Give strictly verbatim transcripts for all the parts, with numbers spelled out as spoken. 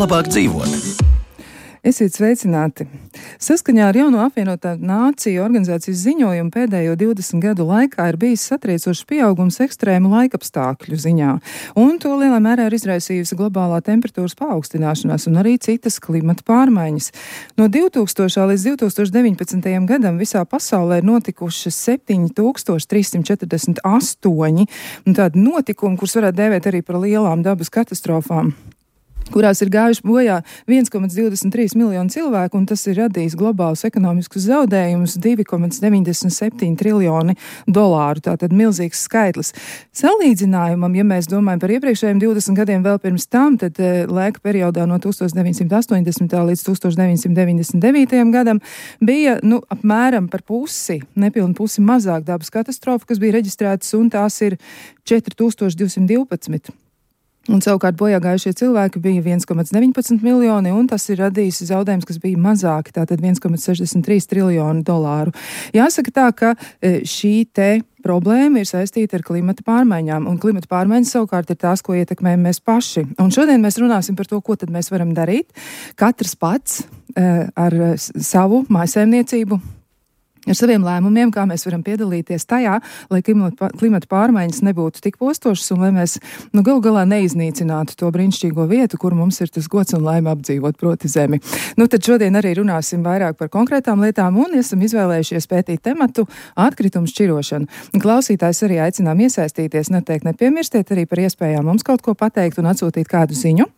labāk dzīvot. Esiet sveicināti! Saskaņā ar jauno apvienotā nāciju organizācijas ziņojumu pēdējo divdesmit gadu laikā ir bijis satriecošs pieaugums ekstrēmu laikapstākļu ziņā, un to lielā mērā ir izraisījusi globālā temperatūras paaugstināšanās un arī citas klimata pārmaiņas. No divtūkstošā līdz divtūkstoš deviņpadsmitajam gadam visā pasaulē ir notikušas septiņi tūkstoši trīs simt četrdesmit astoņi tādi notikumi, kurus varētu dēvēt arī par lielām dabas katastrofām, kurās ir gājuši bojā viens komats divdesmit trīs miljonu cilvēku, un tas ir radījis globālus ekonomiskus zaudējumus divi komats deviņdesmit septiņi triljoni dolāru. Tātad milzīgs skaitlis. Salīdzinājumam, ja mēs domājam par iepriekšējiem divdesmit gadiem vēl pirms tam, tad laika periodā no tūkstoš deviņsimt astoņdesmitā līdz tūkstoš deviņsimt deviņdesmit devītajam gadam bija, nu, apmēram par pusi, nepilnu pusi mazāk dabas katastrofu, kas bija reģistrētas, un tās ir četri tūkstoši divsimt divpadsmit. Un savukārt bojā gājušie cilvēki bija viens komats deviņpadsmit miljoni, un tas ir radījis zaudējums, kas bija mazāki, tātad viens komats sešdesmit trīs triljoni dolāru. Jāsaka tā, ka šī te problēma ir saistīta ar klimata pārmaiņām, un klimata pārmaiņas savukārt ir tās, ko ietekmējam mēs paši. Un šodien mēs runāsim par to, ko tad mēs varam darīt. Katrs pats ar savu mājsaimniecību, ar saviem lēmumiem, kā mēs varam piedalīties tajā, lai klimata pārmaiņas nebūtu tik postošas un lai mēs nu, galu galā neiznīcinātu to brīnišķīgo vietu, kur mums ir tas gods un laime apdzīvot, proti zemi. Nu, tad šodien arī runāsim vairāk par konkrētām lietām un esam izvēlējušies pētīt tematu atkritumu šķirošanu. Klausītājs arī aicinām iesaistīties, noteikti nepiemirstiet arī par iespējām mums kaut ko pateikt un atsūtīt kādu ziņu.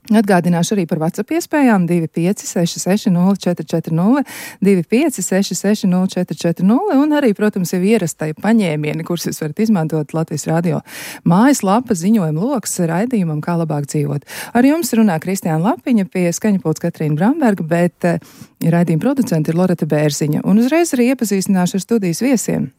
Atgādināšu arī par WhatsApp iespējām divi pieci seši seši nulle četri četri nulle, divi pieci seši seši nulle četri četri nulle un arī, protams, jau ierastai paņēmieni, kurus jūs varat izmantot Latvijas radio mājaslapa ziņojuma loks raidījumam, kā labāk dzīvot. Ar jums runā Kristiāna Lapiņa, pie skaņapults Katrīna Bramberga, bet uh, raidījuma producenti ir Loreta Bērziņa. Un uzreiz arī iepazīstināšu ar studijas viesiem.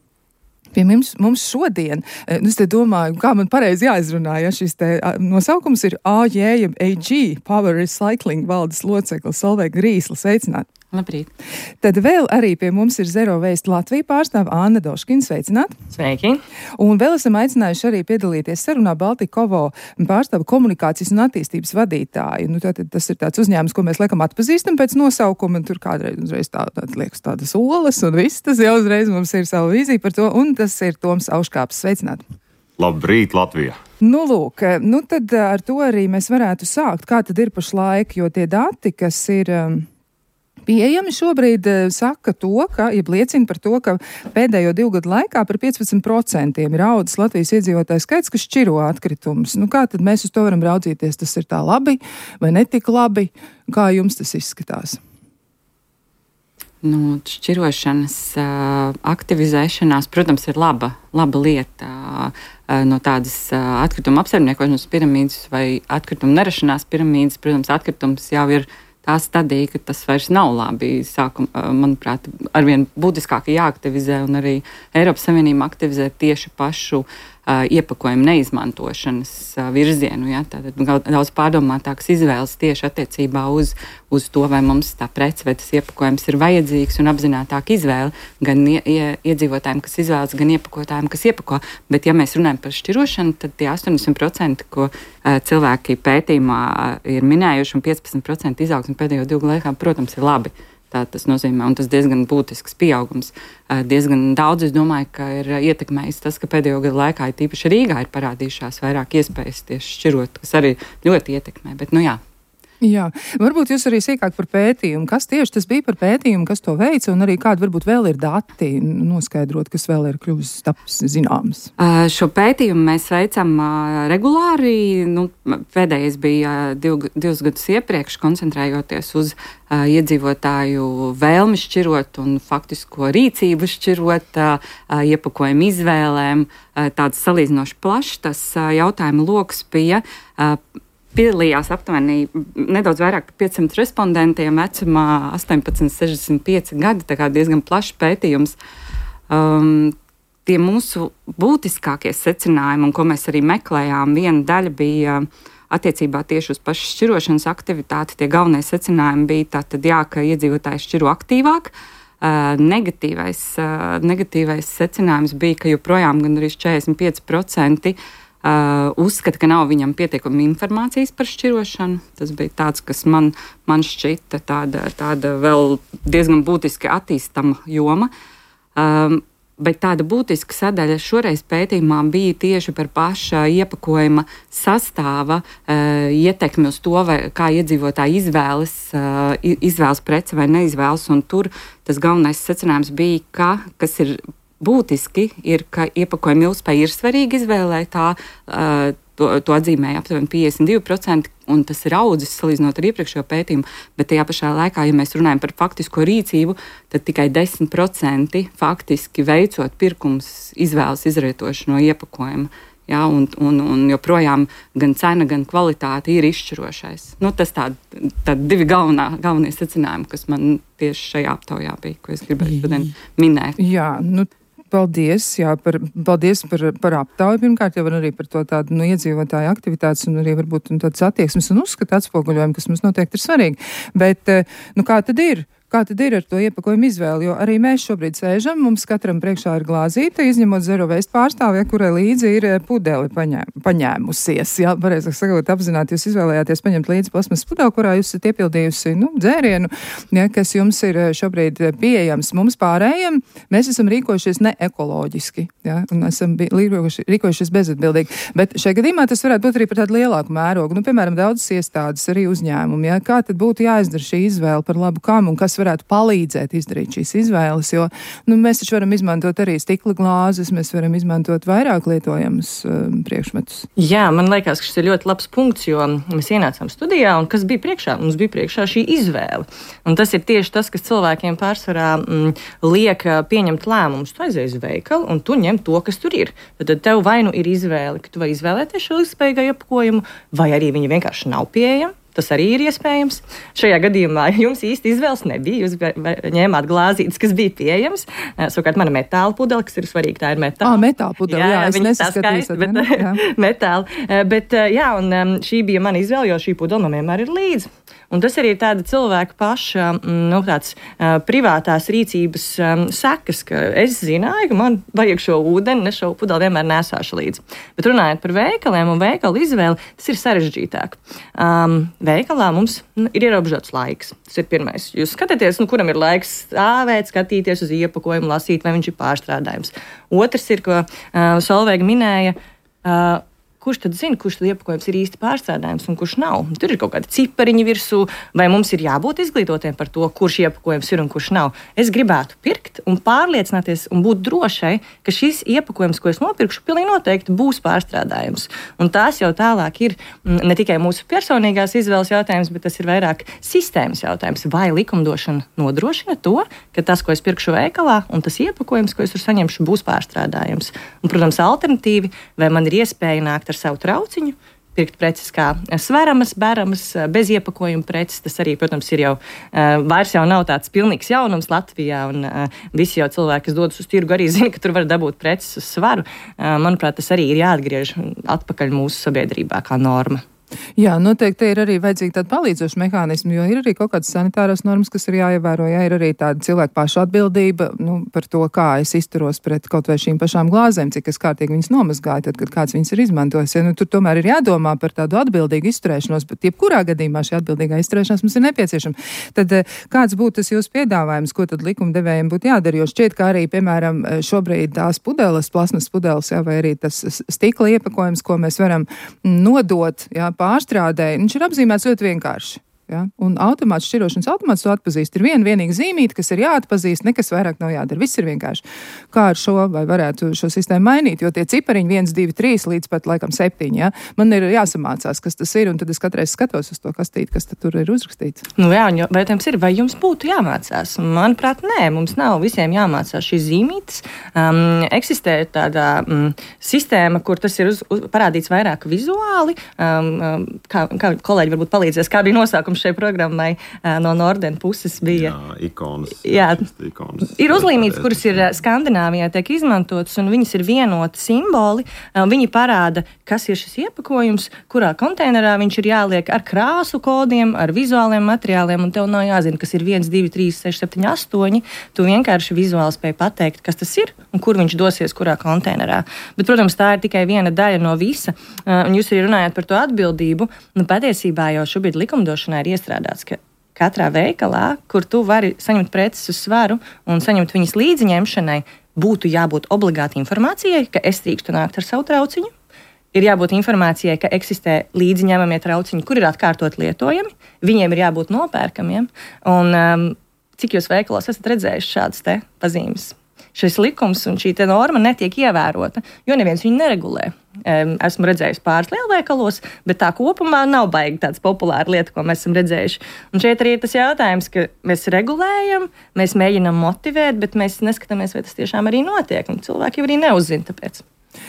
Pie mums, mums šodien, es te domāju, kā man pareizi jāizrunā, ja šis te nosaukums ir A J A G, Power Recycling valdes loceklis Solveiga Grīsla. Sveicināt! Labrīt! Tad vēl arī pie mums ir Zero Waste Latvija pārstāve Anna Doškina. Sveicināt! Sveiki! Un vēl esam aicinājuši arī piedalīties sarunā Baltikovo pārstāve komunikācijas un attīstības vadītāju. Nu, tātad tas ir tāds uzņēmums, ko mēs laikam atpazīstam pēc nosaukuma, un tur kādreiz uzreiz tā, tā liekas tādas olas, un viss tas jau uzreiz mums ir savu vīziju par to, un tas ir Toms Auškāps. Sveicināt! Labrīt, Latvija! Nu, lūk, nu tad ar to arī mēs varētu sākt. Kā tad ir pašlaik, jo tie dati, kas ir um, pieejami šobrīd, saka to, ka, ja liecina par to, ka pēdējo divu gadu laikā par piecpadsmit procentiem ir audzis Latvijas iedzīvotāju skaits, kas šķiro atkritumus. Nu, kā tad mēs uz to varam raudzīties? Tas ir tā labi vai netik labi? Kā jums tas izskatās? Nu, šķirošanas uh, aktivizēšanās, protams, ir laba, laba lieta uh, no tādas uh, atkrituma apsaimniekošanas piramīdas vai atkrituma nerašanās piramīdas. Protams, atkritums jau ir tā stadija, ka tas vairs nav labi. Sākum, uh, manuprāt, arvien būtiskāk jāaktivizē un arī Eiropas Savienība aktivizē tieši pašu uh, iepakojumu neizmantošanas uh, virzienu. Ja? Tātad daudz pārdomātākas izvēles tieši attiecībā uz, uz to, vai mums tā prece vai tas iepakojums ir vajadzīgs un apzinātāk izvēle gan ie, ie, iedzīvotājiem, kas izvēlas, gan iepakotājiem, kas iepako. Bet, ja mēs runājam par šķirošanu, tad tie astoņdesmit procenti, ko uh, cilvēki pētījumā uh, ir minējuši, un piecpadsmit procenti izaugsme pēdējo divu laikā, protams, ir labi. Tā tas nozīmē, un tas diezgan būtisks pieaugums. Diezgan daudz, es domāju, ka ir ietekmējis tas, ka pēdējo gadu laikā, tīpaši Rīgā, ir parādījušās vairāk iespējas tieši šķirot, kas arī ļoti ietekmē, bet nu jā. Jā, varbūt jūs arī sīkāk par pētījumu. Kas tieši tas bija par pētījumu, kas to veica, un arī kādi varbūt vēl ir dati noskaidrot, kas vēl ir kļuvis taps zināms? Uh, šo pētījumu mēs veicam uh, regulāri. Nu, pēdējais bija div, divus gadus iepriekš, koncentrējoties uz uh, iedzīvotāju vēlmi šķirot un faktisko rīcību šķirot, uh, iepakojumu izvēlēm. Uh, tāds salīdzinoši plašs tas uh, jautājumu loks bija. Uh, Piedalījās aptuveni nedaudz vairāk par piecsimt respondentiem vecumā astoņpadsmit, sešdesmit pieci gadi, tā kā diezgan plašs pētījums. Um, tie mūsu būtiskākie secinājumi, un ko mēs arī meklējām, viena daļa bija attiecībā tieši uz pašu šķirošanas aktivitāti. Tie galvenie secinājumi bija tātad, jā, ka iedzīvotāji šķiro aktīvāk. Uh, negatīvais, uh, negatīvais secinājums bija, ka joprojām gan arī četrdesmit pieci procenti Uh, uzskata, ka nav viņam pietiekami informācijas par šķirošanu. Tas bija tāds, kas man, man šķita tāda, tāda vēl diezgan būtiski attīstama joma. Um, bet tāda būtiska sadaļa šoreiz pētījumā bija tieši par paša iepakojuma sastāva uh, ietekmi uz to, vai, kā iedzīvotāji izvēlas, uh, izvēlas preci vai neizvēlas. Un tur tas galvenais secinājums bija, ka, kas ir būtiski, ir, ka iepakojuma ilgspēja ir svarīga izvēlē. Tā, uh, to, to atzīmēja aptuveni piecdesmit divi procenti, un tas ir audzis salīdzinot ar iepriekšējo pētījumu. Bet tajā pašā laikā, ja mēs runājam par faktisko rīcību, tad tikai desmit procenti faktiski veicot pirkums izvēles izrietoši no iepakojuma. Ja, un, un, un joprojām gan cena, gan kvalitāte ir izšķirošais. Nu, tas tādi tā divi galvenā, galvenie secinājumi, kas man tieši šajā aptaujā bija, ko es gribēju šodien minēt. Jā, nu. Paldies, jā, par, paldies par, par aptauju pirmkārt, jau arī par to tādu nu, iedzīvotāju aktivitātes un arī varbūt un tādas attieksmes un uzskatu atspoguļojumu, kas mums noteikti ir svarīgi. Bet, nu, kā tad ir? Kā tad ir ar to iepakojumu izvēli? Jo arī mēs šobrīd sēžam, mums katram priekšā ir glāzīte, izņemot Zero Waste pārstāvja, kurai līdzi ir pudeli paņēm, paņēmusies. Jā, pareizāk sakot, apzināti, jūs izvēlējāties paņemt līdzi plasmas pudeli, kurā jūs esat iepildījusi, nu, dzērienu, ja, kas jums ir šobrīd pieejams. Mums pārējiem, mēs esam rīkojušies neekoloģiski, ja, un esam rīkojušies, rīkojušies bezatbildīgi. Bet šajā gadījumā tas varētu būt arī par tādu lielāku mērogu. Nu, piemēram, daudzas iestādes, arī uzņēmumi, ja. Kā tad būtu jāizdara šī izvēle par labu kam un kas varētu palīdzēt izdarīt šīs izvēles, jo nu, mēs taču varam izmantot arī stikla glāzes, mēs varam izmantot vairāk lietojamus um, priekšmetus. Jā, man liekas, ka šis ir ļoti labs punkts, jo mēs ienācām studijā, un kas bija priekšā? Mums bija priekšā šī izvēle. Un tas ir tieši tas, kas cilvēkiem pārsvarā mm, liek pieņemt lēmumus. Tu aizies uz veikalu, un tu ņem to, kas tur ir. Tad tev vai nu ir izvēle, ka tu vai izvēlēties šo ilgspējīgo iepakojumu, vai arī viņi vienkārši nav pieejami. Tas arī ir iespējams. Šajā gadījumā jums īsti izvēles nebija. Jūs ņēmāt glāzītes, kas bija pieejams. Savukārt mana metāla pudele, kas ir svarīga, tā ir metāla. Ah, metāla pudele, jā, jā es nesaskatījos. Bet, jā. metāla. Bet, jā, un šī bija mana izvēle, jo šī pudele man vienmēr ir līdzi. Un tas arī ir tāda cilvēka paša nu, tāds, uh, privātās rīcības um, sekas, ka es zināju, ka man vajag šo ūdeni, ne šo pudeli vienmēr nesāšu līdzi. Bet runājot par veikaliem un veikalu izvēli, tas ir sarežģītāk. Um, veikalā mums nu, ir ierobežots laiks. Tas ir pirmais. Jūs skatāties, nu, kuram ir laiks stāvēt, skatīties uz iepakojumu, lasīt, vai viņš ir pārstrādājums. Otrs ir, ko uh, Solveiga minēja, uh, kurš tad zina, kurš tad iepakojums ir īsti pārstrādājums un kurš nav. Tur ir kaut kādi cipariņi virsū, vai mums ir jābūt izglītotiem par to, kurš iepakojums ir un kurš nav. Es gribētu pirkt un pārliecināties un būt drošai, ka šis iepakojums, ko es nopirkšu, pilnīgi noteikti būs pārstrādājums. Un tās jau tālāk ir ne tikai mūsu personīgās izvēles jautājums, bet tas ir vairāk sistēmas jautājums. Vai likumdošana nodrošina to, ka tas, ko es pirkšu veikalā, un tas iepakojums, ko es tur saņemšu, būs pārstrādājums. Un, protams, alternatīvi, vai man ir iespēja nākt ar savu trauciņu, pirkt preces kā sveramas, beramas, bez iepakojuma preces. Tas arī, protams, ir jau vairs jau nav tāds pilnīgs jaunums Latvijā, un visi jau cilvēki, kas dodas uz tirgu, arī zina, ka tur var dabūt preces uz svaru. Manuprāt, tas arī ir jāatgriež atpakaļ mūsu sabiedrībā kā norma. Jā, noteikti ir arī vajadzīgi tādi palīdzoši mehānismi, jo ir arī kaut kādas sanitāras normas, kas ir jāievēro, jā, ir arī tāda cilvēka paša atbildība, nu, par to, kā es izturos pret kaut vai šīm pašām glāzēm, cik es kārtīgi viņas nomazgāju, tad, kad kāds viņas ir izmantojis. Ja, nu, tur tomēr ir jādomā par tādu atbildīgu izturēšanos, bet jebkurā gadījumā šī atbildīgā izturēšanās mums ir nepieciešama. Tad kāds būtu tas jūsu piedāvājums, ko tad likumdevējiem būtu jādara, jo šķiet, ka arī, piemēram, šobrīd tās pudeles, plasmas pudeles, jā, vai arī tas stikla iepakojums, ko mēs varam nodot, jā, pārstrādē, viņš ir apzīmēts ļoti vienkārši. Ja? Un automāts, šķirošanas automāts to atpazīst. Ir viena vienīga zīmīte, kas ir jāatpazīst, nekas vairāk nav jādara. Viss ir vienkārši. Kā ar šo, vai varētu šo sistēmu mainīt, jo tie cipariņi viens, divi, trīs līdz pat laikam septiņi, ja? Man ir jāsamācās, kas tas ir, un tad es katreiz skatos uz to kastīti, kas tur ir uzrakstīts. Nu jā, un jautājums ir, vai jums būtu jāmācās? Manuprāt, nē, mums nav visiem jāmācās šīs zīmītes. Um, eksistē tāda um, sistēma, kur tas ir uz, uz, parādīts vairāk vizuāli. Um, kā, kā kolēģi varbūt palīdzēs, kā bija nosaukums uzlīmums šai programmai no Norden puses bija. Jā, ikonas. Jā, ikonas ir uzlīmītas, kuras ir Skandināvijā tiek izmantotas, un viņas ir vienoti simboli. Viņi parāda, kas ir šis iepakojums, kurā konteinerā viņš ir jāliek ar krāsu kodiem, ar vizuāliem materiāliem, un tev nav jāzina, kas ir viens, divi, trīs, seši, septiņi, astoņi. Tu vienkārši vizuāli spēj pateikt, kas tas ir un kur viņš dosies, kurā konteinerā. Bet, protams, tā ir tikai viena daļa no visa. Un jūs arī runājat par to atbildību. Nu, patiesībā jau šobrīd likumdošanā ir iestrādāts, ka katrā veikalā, kur tu vari saņemt preces uz svaru un saņemt viņas līdziņemšanai, būtu jābūt obligāti informācijai, ka es drīkstu nākt ar savu trauciņu. Ir jābūt informācijai, ka eksistē līdziņemamie trauciņi, kur ir atkārtot lietojami. Viņiem ir jābūt nopērkamiem. Un um, cik jūs veikalos esat redzējuši šādas te pazīmes? Šis likums un šī te norma netiek ievērota, jo neviens viņu neregulē. Esmu redzējis pāris lielveikalos, bet tā kopumā nav baigi tāds populāra lieta, ko mēs esam redzējuši. Un šeit arī ir tas jautājums, ka mēs regulējam, mēs mēģinam motivēt, bet mēs neskatāmies, vai tas tiešām arī notiek, un cilvēki arī neuzzina tāpēc.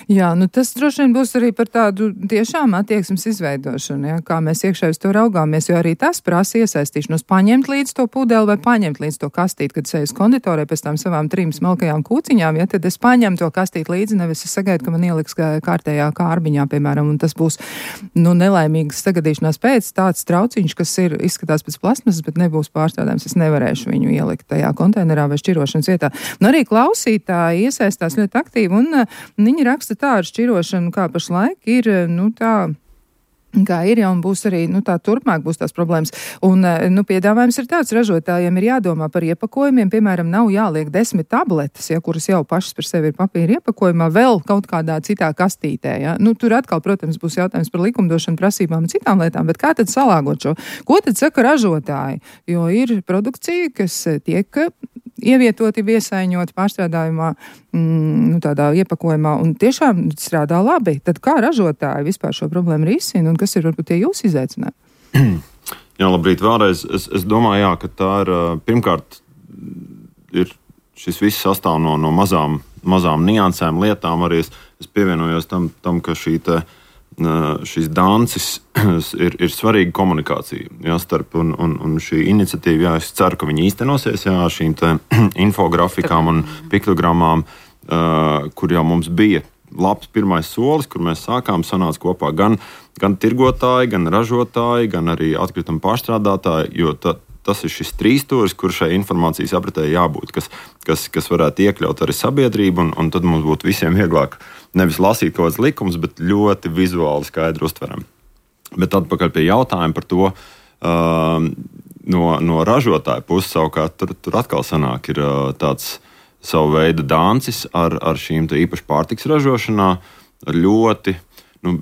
Jā, nu tas droši vien būs arī par tādu tiešām attieksmes izveidošanu, ja, kā mēs iekšēji uz to raugāmies, jo arī tas prasa iesaistīšanos, paņemt līdz to pudeli vai paņemt līdz to kastīti, kad es eju uz konditorē pēc tām savām trim smalkajām kūciņām, ja, tad es paņemu to kastīti līdzi, nevis es sagaidu, ka man ieliks kārtējā kārbiņā, piemēram, un tas būs, nu, nelaimīgas sagadīšanās pēc tāds trauciņš, kas ir izskatās pēc plasmasas, bet nebūs pārstrādājums, es nevarēšu viņu ielikt tajā konteinerā vai šķirošanas vietā. Nu, arī klausītāji iesaistās ļoti aktīvi, un viņi raksta tā ar šķirošanu, kā pašlaik ir, nu tā, kā ir, ja un būs arī, nu tā turpmāk būs tās problēmas. Un, nu, piedāvājums ir tāds, ražotājiem ir jādomā par iepakojumiem, piemēram, nav jāliek desmit tabletes, ja, kuras jau pašas par sevi ir papīra iepakojumā, vēl kaut kādā citā kastītē, ja. Nu, tur atkal, protams, būs jautājums par likumdošanu, prasībām un citām lietām, bet kā tad salāgot šo? Ko tad saka ražotāji? Jo ir produkcija, kas tiek ievietoti, iesaiņot pārstrādājumā, mm, nu, tādā iepakojumā, un tiešām strādā labi. Tad kā ražotāji vispār šo problēmu risina, un kas ir varbūt tie jūsu izaicinājumi? Jā, labrīt vēlreiz. Es, es domāju, jā, ka tā ir, pirmkārt, ir šis viss sastāv no, no mazām, mazām niansēm, lietām. Arī es, es pievienojos tam, tam, ka šī te šis dancis ir, ir svarīga komunikācija, jā, starp un, un, un šī iniciatīva, jā, es ceru, ka viņi īstenosies, jā, šīm te infografikām un piktogramām, uh, kur jau mums bija labs pirmais solis, kur mēs sākām, sanāca kopā gan, gan tirgotāji, gan ražotāji, gan arī atkrituma pārstrādātāji, jo ta, tas ir šis trīsstūris, kur šai informācijas apritē jābūt, kas, kas, kas varētu iekļaut arī sabiedrību, un, un tad mums būtu visiem vieglāk nevis lasīt kaut kāds likums, bet ļoti vizuāli skaidri uztveram. Bet atpakaļ pie jautājuma par to, uh, no, no ražotāja puses savukārt, tur, tur atkal sanāk ir uh, tāds savu veidu dancis ar, ar šīm te īpaši pārtiks ražošanā, ar ļoti, nu,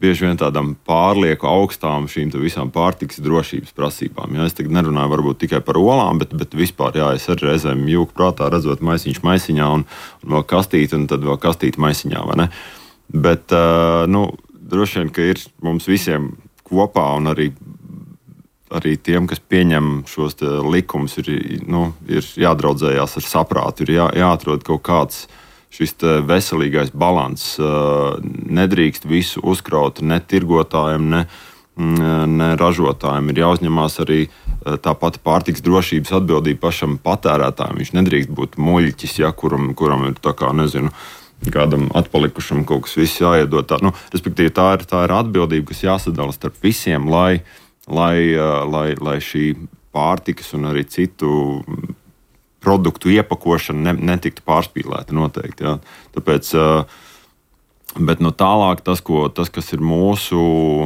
bieži vien tādām pārlieku augstām šīm te visām pārtiks drošības prasībām. Jā, es tagad nerunāju varbūt tikai par olām, bet, bet vispār, jā, es arī reizēm jūku prātā redzot maisiņš maisiņā un, un vēl kastīti, un tad vēl kastīti maisiņā, vai ne? Bet, uh, nu, droši vien, ka ir mums visiem kopā un arī, arī tiem, kas pieņem šos likumus, ir, nu, ir jādraudzējās ar saprātu, ir jā, jāatrod kaut kāds šis veselīgais balanss. Nedrīkst visu uzkraut ne tirgotājiem, ne, ne ražotājiem. Ir jāuzņemās arī tā pati pārtiks drošības atbildība pašam patērētājiem. Viņš nedrīkst būt muļķis, ja, kuram, kuram ir tā kā, nezinu, kādam atpalikušam kaut kas viss jāiedod. Tā, nu, respektīvi, tā ir, tā ir atbildība, kas jāsadala starp visiem, lai, lai, lai, lai šī pārtikas un arī citu produktu iepakošana ne, netiktu pārspīlēta noteikti. Jā. Tāpēc, bet no tālāk tas, ko, tas kas ir mūsu,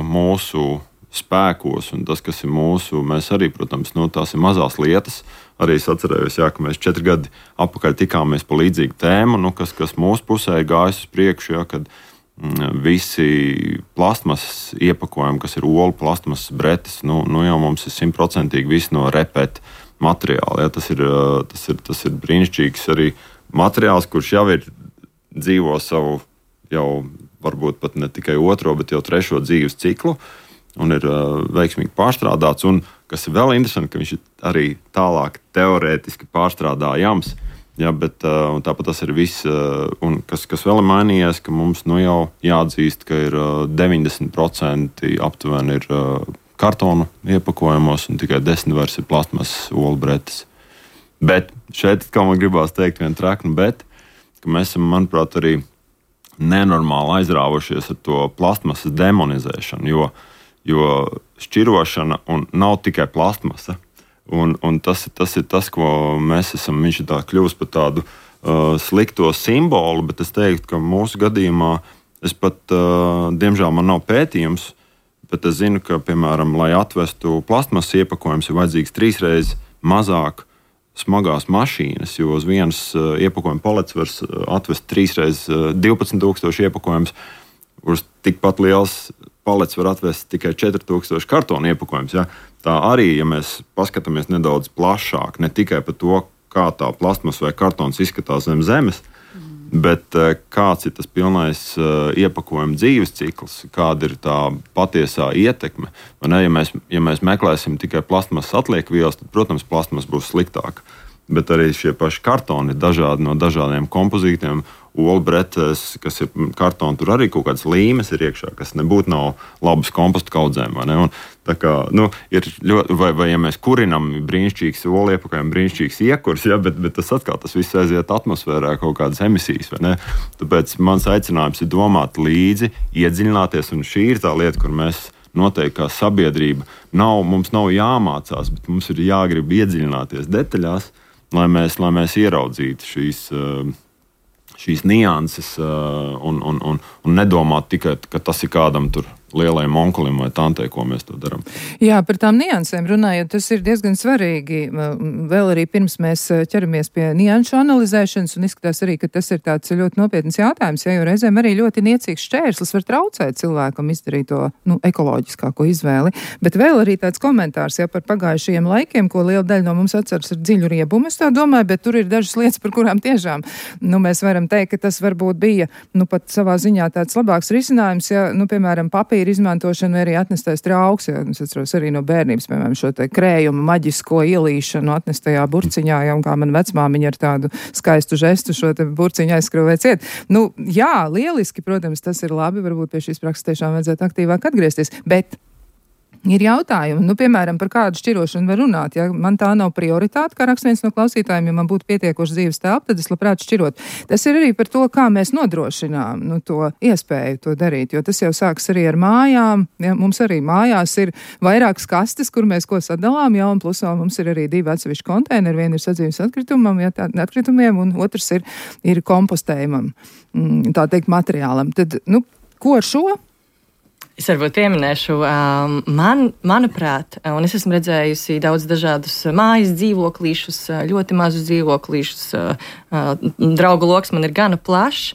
mūsu spēkos un tas, kas ir mūsu, mēs arī, protams, nu, tās ir mazās lietas. Arī es atcerējos, jā, ka mēs četri gadi atpakaļ tikāmies pa līdzīgu tēmu, nu, kas, kas mūsu pusē ir gājis uz priekšu, jā, kad mm, visi plastmasas iepakojumi, kas ir olu plastmasas bretes, nu, nu jau mums ir simtprocentīgi viss no repet materiāla. Jā, tas, ir, tas, ir, tas ir brīnišķīgs arī materiāls, kurš jau ir dzīvo savu, jau varbūt pat ne tikai otro, bet jau trešo dzīves ciklu un ir uh, veiksmīgi pārstrādāts. Un, kas ir vēl interesanti, ka viņš ir arī tālāk teorētiski pārstrādājams. Ja, bet uh, tāpat tas ir viss, uh, un kas, kas vēl ir mainījies, ka mums nu jau jāatzīst, ka ir uh, deviņdesmit procenti aptuveni ir uh, kartonu iepakojumos, un tikai desmit vairs ir plastmasas olu bretes. Bet šeit, kā man gribās teikt, viena trakna, bet ka mēs esam, manuprāt, arī nenormāli aizrāvušies ar to plastmasas demonizēšanu, jo, jo šķirošana un nav tikai plastmasa. Un, un tas, tas ir tas, ko mēs esam, viņš ir tā kļūst par tādu uh, slikto simbolu, bet es teiktu, ka mūsu gadījumā es pat, uh, diemžēl man nav pētījums, bet es zinu, ka, piemēram, lai atvestu plastmasas iepakojums, ir vajadzīgs trīsreiz mazāk smagās mašīnas, jo uz vienas uh, iepakojuma palets var atvest trīsreiz uh, divpadsmit tūkstoši iepakojums, uz tikpat liels palets var atvest tikai četri tūkstoši kartonu iepakojums. Ja? Tā arī, ja mēs paskatāmies nedaudz plašāk, ne tikai par to, kā tā plastmas vai kartons izskatās zem zemes, mm. bet uh, kāds ir tas pilnais uh, iepakojuma dzīves cikls, kāda ir tā patiesā ietekme. Ne, ja, mēs, ja mēs meklēsim tikai plastmasas atliekvielas, tad, protams, plastmas būs sliktāka. Bet arī šie paši kartoni ir dažādi no dažādiem kompozītiem. Olbretes, kas ir kartoni, tur arī kaut kādas līmes ir iekšā, kas nebūtu nav labas kompostu kaudzēm. Vai ne? Un, tā kā, nu, ir ļoti, vai, vai ja mēs kurinam brīnišķīgs olu iepakojam, brīnišķīgs iekurs, ja, bet, bet tas atkal tas viss aiziet atmosfērā kaut kādas emisijas. Vai ne? Tāpēc mans aicinājums ir domāt līdzi, iedziļināties, un šī ir tā lieta, kur mēs noteikti kā sabiedrība nav, mums nav jāmācās, bet mums ir jāgrib iedziļināties detaļās, lai mēs, lai mēs ieraudzītu šīs, šīs nianses un, un, un, un nedomātu tikai, ka tas ir kādam tur lielajam onkulim vai tantei, ko mēs to darām. Jā, par tām niansēm runājot, tas ir diezgan svarīgi. Vēl arī pirms mēs ķeramies pie nianšu analizēšanas, un izskatās arī, ka tas ir tāds ļoti nopietns jautājums, ja, jo reizēm arī ļoti niecīgs šķērslis var traucēt cilvēkam izdarīt to nu, ekoloģiskāko izvēli. Bet vēl arī tāds komentārs ja, par pagājušajiem laikiem, ko liela daļa no mums atceras ar dziļu riebumu, es tā domāju, bet tur ir dažas lietas, par kurām tiešām nu, mēs varam teikt, ka tas varbūt bija nu, pat savā ziņā tāds labāks risinājums, ja, nu, piemēram, papīra izmantošanu vai arī atnestais trauks. Ja, es atceros arī no bērnības, piemēram, šo te krējumu maģisko ielīšanu atnestajā burciņā, ja, un kā man vecmāmiņa ar tādu skaistu žestu šo te burciņu aizskrūvē ciet. Nu, jā, lieliski, protams, tas ir labi, varbūt pie šīs prakses tiešām vajadzētu aktīvāk atgriezties, bet ir jautājumi, nu, piemēram, par kādu šķirošanu var runāt. Ja man tā nav prioritāte, kā raksta viens no klausītājiem, ja man būtu pietiekoši dzīves telpa, tad es labprāt šķirot. Tas ir arī par to, kā mēs nodrošinām nu, to iespēju to darīt, jo tas jau sāks arī ar mājām. Ja, mums arī mājās ir vairākas kastes, kur mēs ko sadalām, ja, un plus vēl mums ir arī divi atsevišķi konteineri. Viena ir sadzīves atkritumam, ja, tā, atkritumiem, un otrs ir, ir kompostējumam, tā teikt, materiālam. Tad, nu, ko ar šo? Es varbūt pieminēšu, um, man, manuprāt, un es esmu redzējusi daudz dažādus mājas dzīvoklīšus, ļoti mazus dzīvoklīšus, uh, uh, draugu loks man ir gana plašs.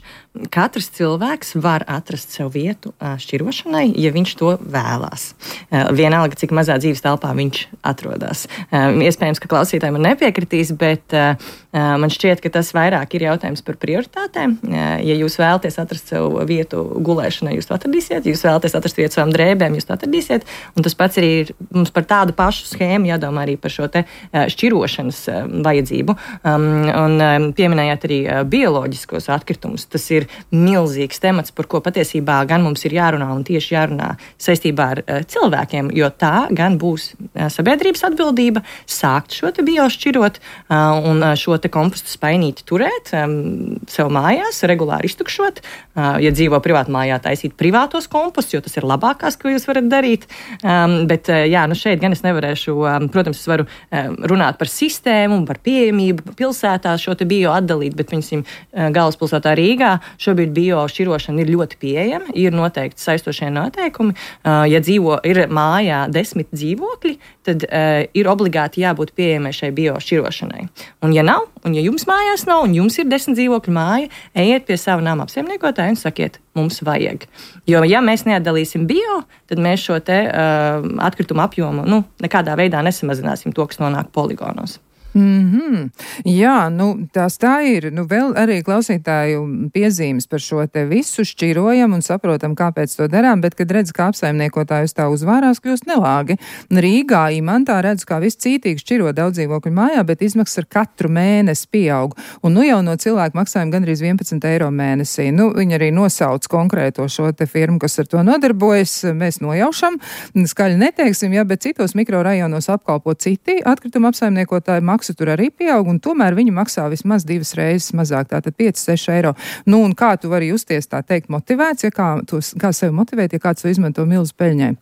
Katrs cilvēks var atrast sev vietu uh, šķirošanai, ja viņš to vēlās. Uh, vienalga, cik mazā dzīves telpā viņš atrodas. Uh, iespējams, ka klausītāji man nepiekritīs, bet uh, uh, man šķiet, ka tas vairāk ir jautājums par prioritātēm. Uh, ja jūs vēlaties atrast sev vietu gulēšanai, jūs to atradīsiet. Ja jūs vēlaties atrast vietu savām drēbēm, jūs to atradīsiet. Un tas pats arī ir mums par tādu pašu schēmu jādomā arī par šo te uh, šķirošanas uh, vajadzību. Um, un um, pieminējāt arī uh, bioloģiskos atkritumus. Tas ir milzīgs temats, par ko patiesībā gan mums ir jārunā un tieši jārunā saistībā ar uh, cilvēkiem, jo tā gan būs uh, sabiedrības atbildība sākt šo te biošķirot uh, un uh, šo te kompostu spainīti turēt um, sev mājās, regulāri iztukšot. Uh, ja dzīvo privātu mājā, taisīt privātos kompostus, jo tas ir labākās, ko jūs varat darīt. Um, bet uh, jā, nu šeit gan es nevarēšu, um, protams, es varu um, runāt par sistēmu un par pieejamību pilsētā šo te bio atdalīt, bet piemēram uh, galvaspilsētā Rīgā šobrīd biošķirošana ir ļoti pieejama, ir noteikti saistošie noteikumi. Uh, ja dzīvo, ir mājā desmit dzīvokļi, tad uh, ir obligāti jābūt pieejamai šai biošķirošanai. Un ja nav, un ja jums mājās nav, un jums ir desmit dzīvokļu māja, ejiet pie sava nama apsaimniekotāja un sakiet, mums vajag. Jo ja mēs neatdalīsim bio, tad mēs šo te uh, atkritumu apjomu nu, nekādā veidā nesamazināsim to, kas nonāk poligonos. Mm-hmm. Jā, nu, tās tā ir. Nu, vēl arī klausītāju piezīmes par šo te visu šķirojam un saprotam, kāpēc to darām, bet, kad redz, kā apsaimniekotājus tā uzvārās, kļūst nelāgi. Rīgā imantā redz, kā viss cītīgi šķiro daudz dzīvokļu mājā, bet izmaksas ar katru mēnesi pieaug. Un nu jau no cilvēku maksājuma gandrīz vienpadsmit eiro mēnesī. Nu, viņi arī nosauc konkrēto šo te firmu, kas ar to nodarbojas. Mēs nojaušam, skaļi neteiksim, ja, bet citos mikrorajonos apkalpo citi atkrituma apsaimniekotāji maksā tur arī pieaug, un tomēr viņi maksā vismaz divas reizes mazāk, tātad pieci seši eiro. Nu, un kā tu vari justies, tā teikt, motivēts, ja kā, tu, kā sevi motivēt, ja kāds to izmanto milzu peļņai?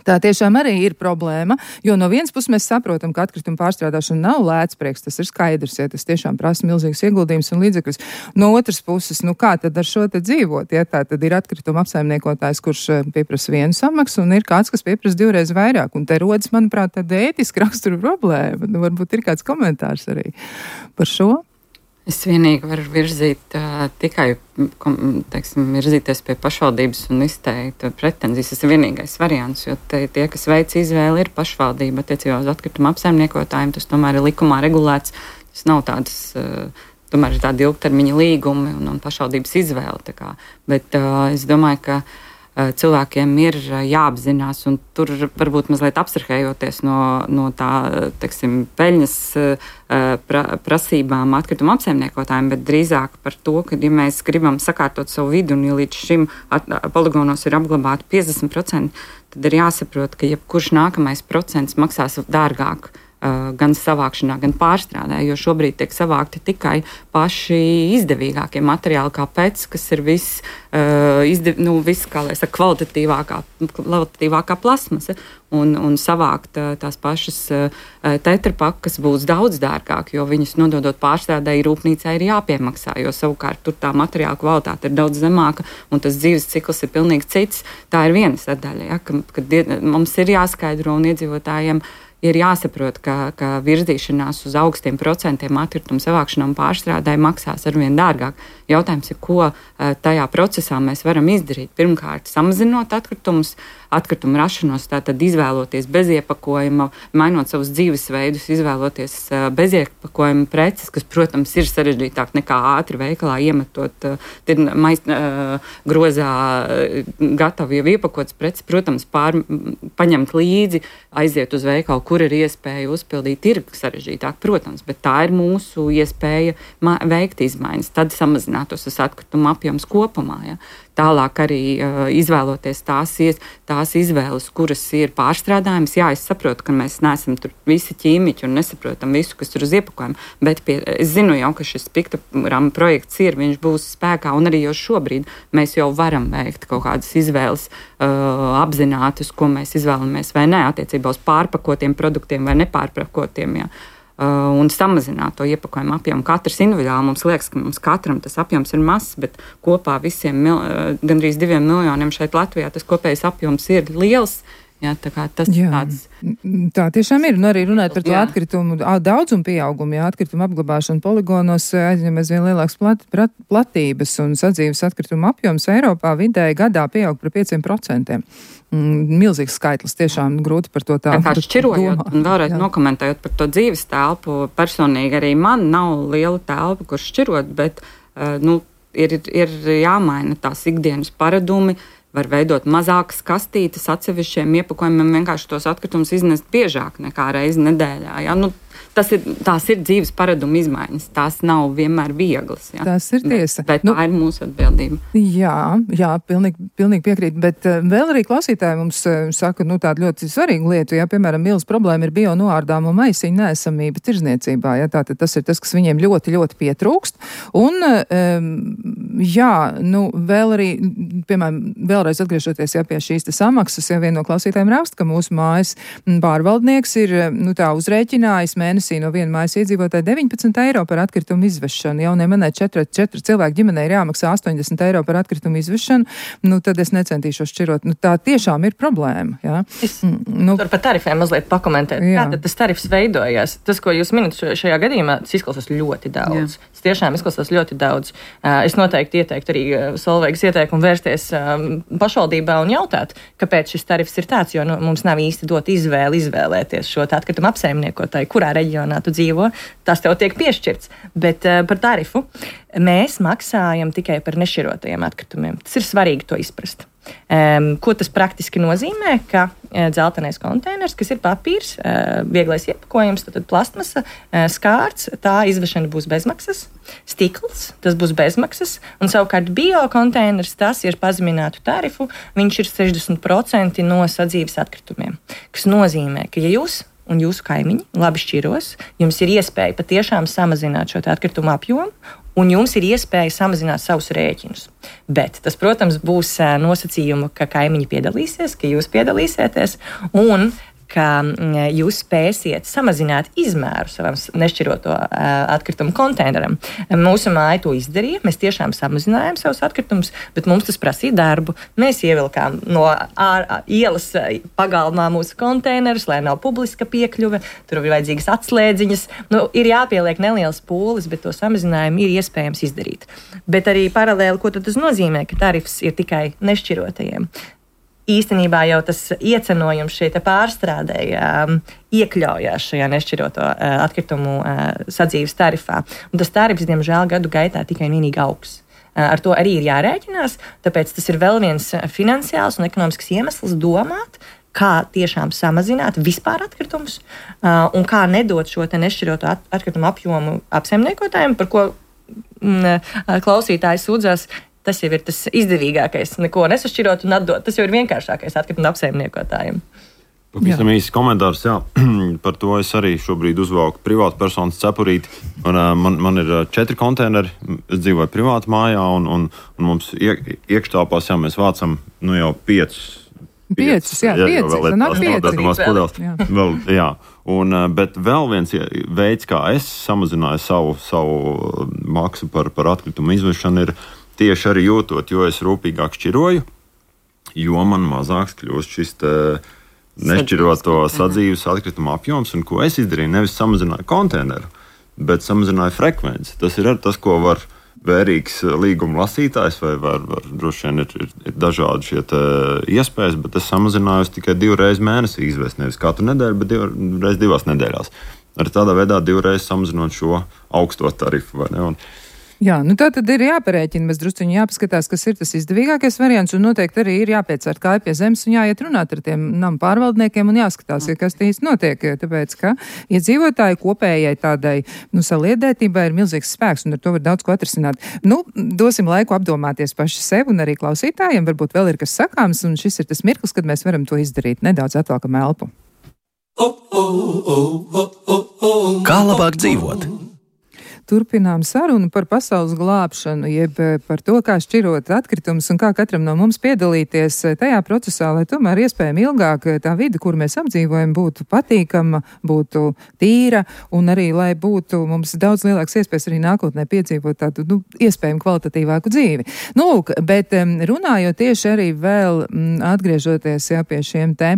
Tā tiešām arī ir problēma, jo no vienas puses mēs saprotam, ka atkrituma pārstrādāšana nav lēts prieks, tas ir skaidrs, ja tas tiešām prasa milzīgas ieguldījumus un līdzekļus. No otras puses, nu kā tad ar šo te dzīvot, ja tā tad ir atkrituma apsaimniekotājs, kurš pieprasa vienu samaksu, un ir kāds, kas pieprasa divreiz vairāk, un te rodas, manuprāt, tāda ētiska rakstura problēma. Nu, varbūt ir kāds komentārs arī par šo. Es vienīgi varu virzīt uh, tikai, teiksim, virzīties pie pašvaldības un izteikt pretenzijas. Tas ir vienīgais variants, jo te, tie, kas veic izvēli, ir pašvaldība attiecībā uz atkrituma apsaimniekotājiem. Tas tomēr ir likumā regulēts. Tas nav tādas, uh, tomēr ir tādi ilgtermiņa līgumi un, un pašvaldības izvēle. Tā kā. Bet uh, es domāju, ka cilvēkiem ir jāapzinās, un tur varbūt mazliet abstrahējoties no, no tā, teiksim, peļņas pra, prasībām atkrituma apsaimniekotājiem, bet drīzāk par to, ka, ja mēs gribam sakārtot savu vidi, un ja līdz šim at, poligonos ir apglabāti piecdesmit procenti, tad ir jāsaprot, ka jebkurš nākamais procents maksās dārgāk. Gan savākšanā, gan pārstrādē, jo šobrīd tiek savākti tikai paši izdevīgākie materiāli, kā pēc, kas ir viss, uh, izdev, nu, vis, kā lai saka, kvalitatīvākā, kvalitatīvākā plasmasa, un, un savākt uh, tās pašas uh, tetrapakas būs daudz dārgāk, jo viņas nododot pārstrādē rūpnīcai ir jāpiemaksā, jo savukārt tur tā materiāla kvalitāte ir daudz zemāka, un tas dzīves cikls ir pilnīgi cits. Tā ir viena sadaļa, ja, ka, ka mums ir jāskaidro un iedzīvotājiem ir jāsaprot, ka, ka virzīšanās uz augstiem procentiem atkritumu savākšanā un pārstrādē maksās arvien dārgāk. Jautājums ir, ko tajā procesā mēs varam izdarīt. Pirmkārt, samazinot atkritumus, atkritumu rašanos, tātad izvēloties bez iepakojuma, mainot savus dzīvesveidus, izvēloties bez iepakojuma preces, kas, protams, ir sarežģītāk nekā ātri veikalā iemetot mais, grozā gatavu jau iepakotas preces. Protams, pār, paņemt līdzi, aiziet uz veikalu, kur ir iespēja uzpildīt, ir sarežģītāk, protams, bet tā ir mūsu iespēja veikt izmaiņas, tad samazinātos tas atkrituma apjoms kopumā. Ja. Tālāk arī uh, izvēloties tās, ies, tās izvēles, kuras ir pārstrādājamas. Jā, es saprotu, ka mēs neesam tur visi ķīmiķi un nesaprotam visu, kas tur uz iepakojuma, bet pie, es zinu jau, ka šis piktogramma projekts ir, viņš būs spēkā, un arī jau šobrīd mēs jau varam veikt kaut kādas izvēles uh, apzinātas, ko mēs izvēlamies vai ne, attiecībā uz pārpakotiem produktiem vai nepārpakotiem. Jā. Uh, un samazināt to iepakojumu apjomu. Katrs individuāli mums liekas, ka mums katram tas apjoms ir mazs, bet kopā visiem mil, uh, gandrīz diviem miljoniem šeit Latvijā tas kopējais apjoms ir liels. Jā, tā kā tas jā, tāds. Tā tiešām ir. Nu, arī runāt par to jā. atkritumu daudzumu pieaugumu, ja atkrituma apglabāšana poligonos aizņem aizvien lielākas plat, plat, platības un sadzīves atkrituma apjoms Eiropā vidēji gadā pieaug par pieciem procentiem. Mm, milzīgs skaitlis, tiešām grūti par to tā. Tā kā šķirojot domāt. Un vēlreiz jā. nokomentējot par to dzīves telpu, personīgi arī man nav liela telpa, kur šķirot, bet uh, nu, ir, ir jāmaina tās ikdienas paradumi. Var veidot mazākas kastītes atsevišķiem iepakojumiem, vienkārši tos atkritumus iznest biežāk nekā reizi nedēļā. Ja? Nu, tas ir, tās ir dzīves paradumu izmaiņas. Tās nav vienmēr vieglas. Ja? Tas ir tiesa. Bet, bet nu, tā ir mūsu atbildība. Jā, jā, pilnīgi, pilnīgi piekrīt. Bet uh, vēl arī klausītāji mums uh, saka, nu tādu ļoti svarīgu lietu. Ja, piemēram, milz problēma ir bio noārdāmo maisiņu neesamība tirzniecībā. Ja, tātad tas ir tas, kas viņiem ļoti, ļoti pietrūkst. Un, um, jā, nu vēl arī, piemēram, vēlreiz atgriežoties ja, pie šīs te samaksas, ja viena no klausītājiem raksta, ka mūsu mājas pārvaldnieks ir, nu tā, uzrēķinājis mēnesi no viena mājas iedzīvotāja deviņpadsmit eiro par atkritumu izvešanu. Jaunai manai četri, četri cilvēku ģimenei ir jāmaksā astoņdesmit eiro par atkritumu izvešanu, nu tad es necentīšos šķirot. Nu, tā tiešām ir problēma. Jā. Es nu, tur par tarifiem mazliet pakomentēt. Jā. Kā tad tas tarifs veidojās? Tas, ko jūs minat šajā gadījumā, tas izklausās ļoti daudz. Jā. Tas tiešām izklausās ļoti daudz. Es noteikti ieteiktu arī Solveigas ieteikumu vērsties pašvaldībā un jautāt, kāpēc šis tarifs ir tāds, jo nu, mums nav īsti dot izvēli izvēlēties šo atkritumu apsaimniekotāju, kurā reģionā tu dzīvo, tas tev tiek piešķirts. Bet uh, par tarifu mēs maksājam tikai par nešķirotajiem atkritumiem. Tas ir svarīgi to izprast. Um, ko tas praktiski nozīmē? Ka uh, dzeltenais konteiners, kas ir papīrs, uh, vieglais iepakojums, tad, tad plastmasa, uh, skārts, tā izvešana būs bezmaksas, stikls, tas būs bezmaksas, un savukārt biokonteiners, tas ir pazeminātu tarifu, viņš ir sešdesmit procenti no sadzīves atkritumiem, kas nozīmē, ka ja jūs un jūsu kaimiņi labi šķiros, jums ir iespēja patiešām samazināt šo atkritumu apjomu, un jums ir iespēja samazināt savus rēķinus. Bet tas, protams, būs nosacījumu, ka kaimiņi piedalīsies, ka jūs piedalīsieties, un ka jūs spēsiet samazināt izmēru savam nešķiroto uh, atkritumu konteineram. Mūsu māja to izdarīja, mēs tiešām samazinājām savus atkritumus, bet mums tas prasīja darbu. Mēs ievilkām no ār, ielas pagalmā mūsu konteinerus, lai nav publiska piekļuve, tur ir vajadzīgas atslēdziņas. Nu, ir jāpieliek neliels pūlis, bet to samazinājumu ir iespējams izdarīt. Bet arī paralēli, ko tas nozīmē, ka tarifs ir tikai nešķirotajiem. Īstenībā jau tas iecenojums šeit pārstrādēja um, iekļaujās šajā nešķiroto uh, atkritumu uh, sadzīves tarifā. Un tas tarifs, diemžēl, gadu gaitā tikai un vienīgi augs. Uh, ar to arī ir jārēķinās, tāpēc tas ir vēl viens finansiāls un ekonomisks iemesls domāt, kā tiešām samazināt vispār atkritumus uh, un kā nedot šo te nešķiroto at- atkritumu apjomu apsaimniekotājiem, par ko mm, klausītājs sūdzās. Tas jau ir tas izdevīgākais, neko nesašķirot un atdot. Tas jau ir vienkāršākais atkrituma apsaimniekotājiem. Pavisam īsts komentārs, jā. Par to es arī šobrīd uzvalku privātu personas cepurīti. Un, man, man ir četri konteineri, es dzīvoju privātu mājā, un, un, un mums iek, iekštāpās, jā, mēs vācam nu jau piecus. Piecus, jā, jā pieci, sanāk pieci. Jā. Vēl, jā. Un, bet vēl viens veids, kā es samazināju savu, savu maksu par, par atkritumu izvešanu, ir tieši arī jūtot, jo es rūpīgāk šķiroju, jo man mazāks kļūst šis nešķiroto sadzīves atkrituma apjoms, un ko es izdarīju, nevis samazināju konteineru, bet samazināju frekvenci. Tas ir arī tas, ko var vērīgs līguma lasītājs, vai var, var droši vien ir, ir, ir dažādi šie iespējas, bet es samazināju tikai divreiz mēnesī izvest, nevis katru nedēļu, bet divreiz divās nedēļās. Arī tādā veidā divreiz samazinot šo augsto tarifu, vai ne? Un, Jā, nu tā tad ir jāparēķina, mēs drusciņi jāpaskatās, kas ir tas izdevīgākais variants, un noteikti arī ir jāpiecērt kāju pie zemes un jāiet runāt ar tiem namu pārvaldniekiem un jāskatās, ja kas tīs notiek, tāpēc, ka iedzīvotāju kopējai tādai, nu, saliedētībai ir milzīgs spēks, un ar to var daudz ko atrisināt. Nu, dosim laiku apdomāties paši sev un arī klausītājiem, varbūt vēl ir kas sakāms, un šis ir tas mirklis, kad mēs varam to izdarīt. Nedaudz atvēlkam elpu. Kā labāk dzīvot? Turpinām sarunu par pasaules glābšanu, jeb par to, kā šķirot atkritumus un kā katram no mums piedalīties tajā procesā, lai tomēr iespējami ilgāk tā vide, kur mēs apdzīvojam, būtu patīkama, būtu tīra un arī, lai būtu mums daudz lielāks iespējas arī nākotnē piedzīvot tādu, nu, iespējami kvalitatīvāku dzīvi. Nu, lūk, bet runājot tieši arī vēl atgriežoties, jā, pie šiem te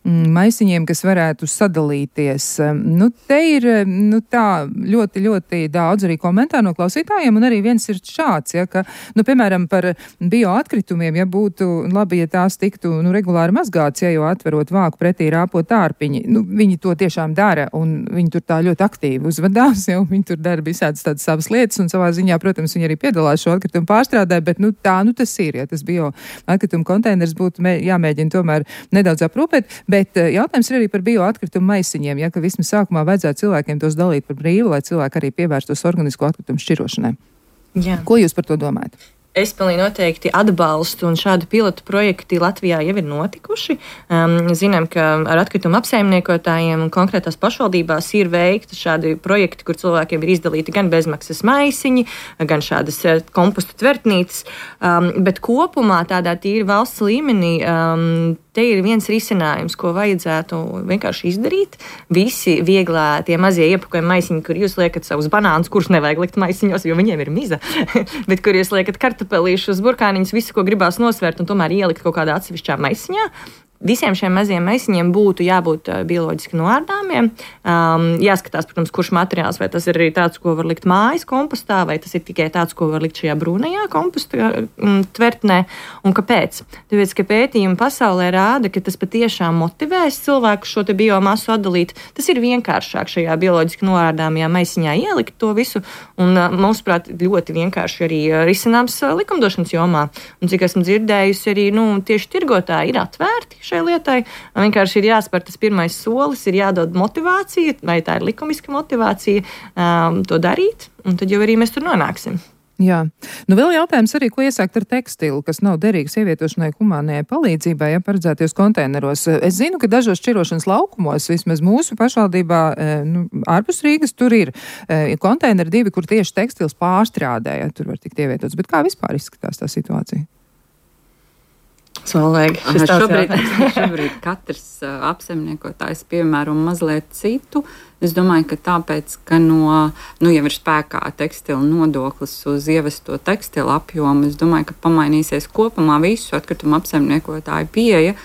maisiņiem, kas varētu sadalīties. Nu, te ir, nu, tā ļoti, ļoti daudz arī komentāru no klausītājiem, un arī viens ir šāds, ja, ka, nu, piemēram, par bioatkritumiem, ja būtu labi, ja tās tiktu, nu, regulāri mazgāts, ja, jo atverot vāku pretī rāpot ārpiņi, nu, viņi to tiešām dara, un viņi tur tā ļoti aktīvi uzvedās, ja, viņi tur dara visādas tādas savas lietas, un savā ziņā, protams, viņi arī piedalās šo atkritumu pārstrādē, bet, nu, tā, nu, tas ir, ja tas bioatkritumu konteiners būtu mē, jāmēģina tomēr nedaudz aprūpēt. Bet jautājums ir arī par bioatkritumu maisiņiem, ja, ka vismaz sākumā vajadzētu cilvēkiem tos dalīt par brīvu, lai cilvēki arī pievērstos organisko atkritumu šķirošanai. Jā. Ko jūs par to domājat? Es pilnīgi noteikti atbalstu, un šādu pilotu projekti Latvijā jau ir notikuši. Um, zinām, ka ar atkritumu apsaimniekotājiem un konkrētās pašvaldībās ir veikti šādi projekti, kur cilvēkiem ir izdalīti gan bezmaksas maisiņi, gan šādas kompostu tvertnītes, um, bet kopumā tādā tīri valsts līmenī um, te ir viens risinājums, ko vajadzētu vienkārši izdarīt. Visi vieglā tie mazie iepakojumi maisiņi, kur jūs liekat savus banānus, kurus nevajag likt maisiņos, jo viņiem ir miza, bet kur jūs liekat kartupelīšus, burkāniņus, visu, ko gribās nosvērt un tomēr ielikt kaut kādā atsevišķā maisiņā. visiem šiem maziem maisiņiem būtu jābūt uh, bioloģiski noārdāmiem. Um, jāskatās, protams, kurš materiāls, vai tas ir arī tāds, ko var likt mājas kompostā, vai tas ir tikai tāds, ko var likt šajā brūnajā komposta um, tvertnē. Un kāpēc? Tāpēc, ka pētījumi pasaulē rāda, ka tas patiešām motivēs cilvēku šo te biomasu atdalīt. Tas ir vienkāršāk šajā bioloģiski noārdāmajā maisiņā ielikt to visu, un uh, mūsuprāt, ļoti vienkārši arī uh, risināms uh, likumdošanas jomā. Un cik esmu dzirdējusi, arī nu, tieši tirgotāji ir atvērti šai lietai. Vienkārši ir jāspēr tas pirmais solis, ir jādod motivācija, vai tā ir likumiska motivācija um, to darīt, un tad jau arī mēs tur nonāksim. Jā. Nu, vēl jautājums arī, ko iesākt ar tekstilu, kas nav derīgs ievietošanai humānajai palīdzībai, ja paredzēties konteineros. Es zinu, ka dažos šķirošanas laukumos, vismaz mūsu pašvaldībā, nu, ārpus Rīgas, tur ir konteineri divi, kur tieši tekstils pārstrādē, ja tur var tikt ievietots. Bet kā vispār izskatās tā situācija? Solvēgi. Šobrīd, šobrīd katrs uh, apsaimniekotājs piemēro mazliet citu. Es domāju, ka tāpēc, ka no, nu jau ir spēkā tekstila nodoklis uz ievesto tekstila apjomu, es domāju, ka pamainīsies kopumā visu atkritumu apsaimniekotāju pieeja.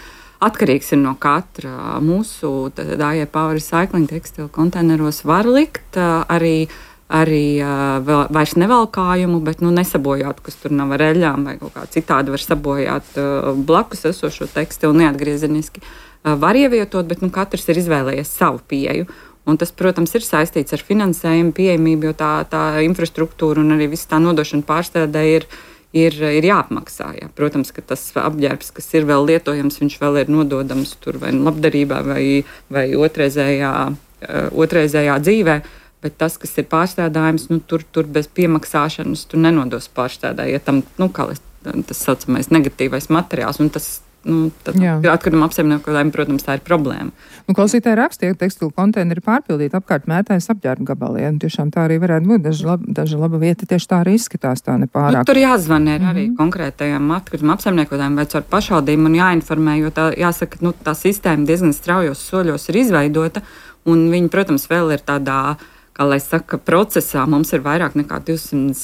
Atkarīgs ir no katra. Mūsu A J Power Recycling tekstila konteineros var likt uh, arī arī uh, vēl, vairs nevalkājumu, bet nu, nesabojāt, kas tur nav ar eļļām vai kaut kā citādi var sabojāt uh, blakus esošo tekstilu neatgriezeniski. Uh, var ievietot, bet nu, katrs ir izvēlējies savu pieeju. Un tas, protams, ir saistīts ar finansējumu pieejamību, jo tā, tā infrastruktūra un arī viss tā nodošana pārstrādē ir, ir, ir jāapmaksā. Jā. Protams, ka tas apģērbs, kas ir vēl lietojams, viņš vēl ir nododams tur vai labdarībā vai, vai otrreizējā, uh, otrreizējā dzīvē. Bet tas, kas ir pārstrādājums, nu, tur, tur bez piemaksāšanas tu nenodos pārstrādāju. Ja tam, nu, kā tas saucamais negatīvais materiāls, un tas, nu, atkrituma apsaimniekotājiem, protams, tā ir problēma. Nu, klausītāji rakstīja, ka tekstilu konteineri pārpildīti apkārt mētājas apģērbu gabaliem. Ja? Tiešām tā arī varētu būt. Daži, lab, daži laba vieta tieši tā arī izskatās, tā nepārāk. Nu, tur jāzvanē mm-hmm. arī konkrētajiem atkrituma apsaimniekotājiem vai caur pašvaldību un jāinformē, jo tā, jāsaka, nu, tā sistēma diezgan straujos soļos ir izveidota, un viņi, protams, vēl ir tādā, kā lai saka, procesā. Mums ir vairāk nekā divsimt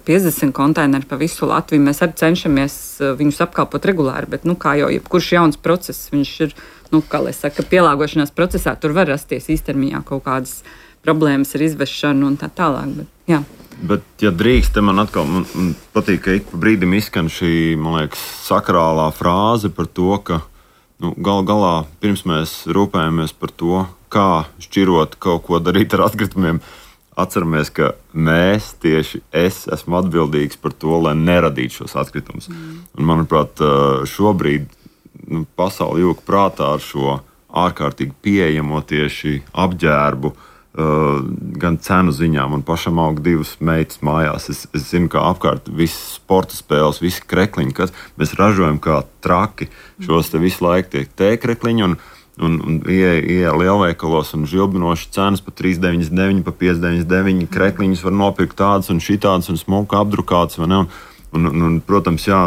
piecdesmit konteineri pa visu Latviju. Mēs arī cenšamies viņus apkalpot regulāri, bet, nu, kā jau jebkurš jauns process, viņš ir, nu, kā lai saka, pielāgošanās procesā, tur var rasties īstermiņā kaut kādas problēmas ar izvešanu un tā tālāk, bet, jā. Bet, ja drīkst, te man atkal man, man patīk, ka ik pa brīdim izskan šī, man liekas, sakrālā frāze par to, ka, nu, gal galā, pirms mēs rūpējamies par to, kā šķirot kaut ko darīt ar atkritumiem, atceramies, ka mēs, tieši es, esmu atbildīgs par to, lai neradītu šos atkritumus. Mm. Un, manuprāt, šobrīd nu, pasauli jūka prātā ar šo ārkārtīgi pieejamo tieši apģērbu, uh, gan cenu ziņā. Man pašam aug divas meitas mājās. Es, es zinu, kā apkārt visas sporta spēles, visi krekliņi, kas mēs ražojam kā traki. Šos te visu laiku tiek tēkrekliņi un Un, un ieeja lielveikalos un žilbinoši cenas pa trīs deviņdesmit deviņi, pa pieci deviņdesmit deviņi. Krekliņus var nopirkt tādas un šitādas un smuka apdrukātas. Un, un, un, protams, jā,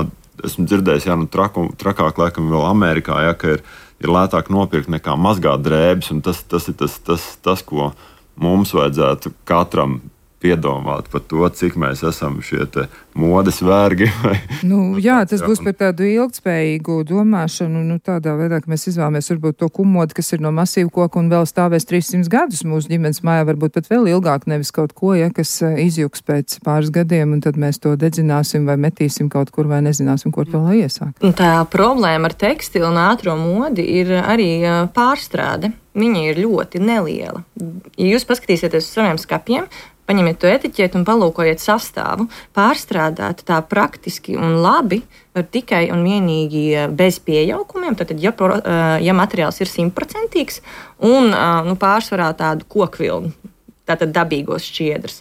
esmu dzirdējis, jā, nu, traku, trakāk laikam vēl Amerikā, jā, ka ir, ir lētāk nopirkt nekā mazgāt drēbes. Un tas, tas ir tas, tas, tas, ko mums vajadzētu katram piedomāt par to, cik mēs esam šie te modes vergi. Vai, nu, jā, tas būs par tādu ilgtspējīgu domāšanu, nu, tādā veidā, ka mēs izvēlamies varbūt to kumodu, kas ir no masīvu koku un vēl stāvēs trīssimtus gadus mūsu ģimenes mājā, varbūt pat vēl ilgāk, nevis kaut ko, ja, kas izjuks pēc pāris gadiem, un tad mēs to dedzināsim vai metīsim kaut kur vai nezināsim, kur to lai iesākt. Tā problēma ar tekstilu un ātro modi ir arī pārstrāde. Viņa ir ļoti neliela. Ja jūs paskatīsieties uz saviem skapiem, paņemiet to etiķeti un palūkojiet sastāvu. Pārstrādāt tā praktiski un labi var tikai un vienīgi bez pieaukumiem. Tad, ja, ja materiāls ir simtprocentīgs un nu, pārsvarā tādu kokvilnu, tātad dabīgos šķiedrus.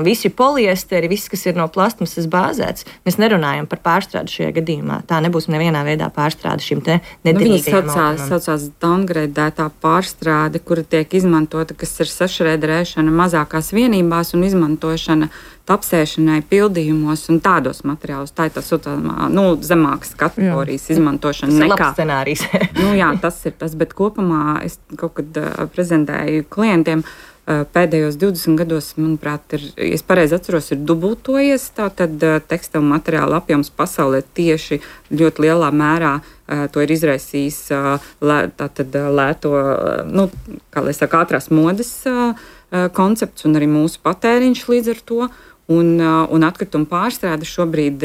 Visi poliesteri, viss, kas ir no plastmasas bāzēts, mēs nerunājam par pārstrādi šajā gadījumā. Tā nebūs nevienā veidā pārstrāde šim te nederīgajam nu, saucās, saucās downgradētā pārstrāde, kura tiek izmantota, kas ir sašrēderēšana mazākās vienībās un izmantošana tapsēšanai, pildījumos un tādos materiālos. Tā ir tā saucamā, nu, zemākas kategorijas jā. Izmantošana. Tas ir labs scenārijs. nu, jā, tas ir tas, bet kopumā es kaut kad uh, prezentēju klientiem, pēdējos divdesmit gados, manuprāt, ir, ja es pareizi atceros, ir dubultojies. Tātad tekstilu materiālu apjoms pasaulē tieši ļoti lielā mērā to ir izraisījis tātad lēto, nu, kā lai saka, ātrās modes koncepts un arī mūsu patēriņš līdz ar to. Un, un atkrituma pārstrāde šobrīd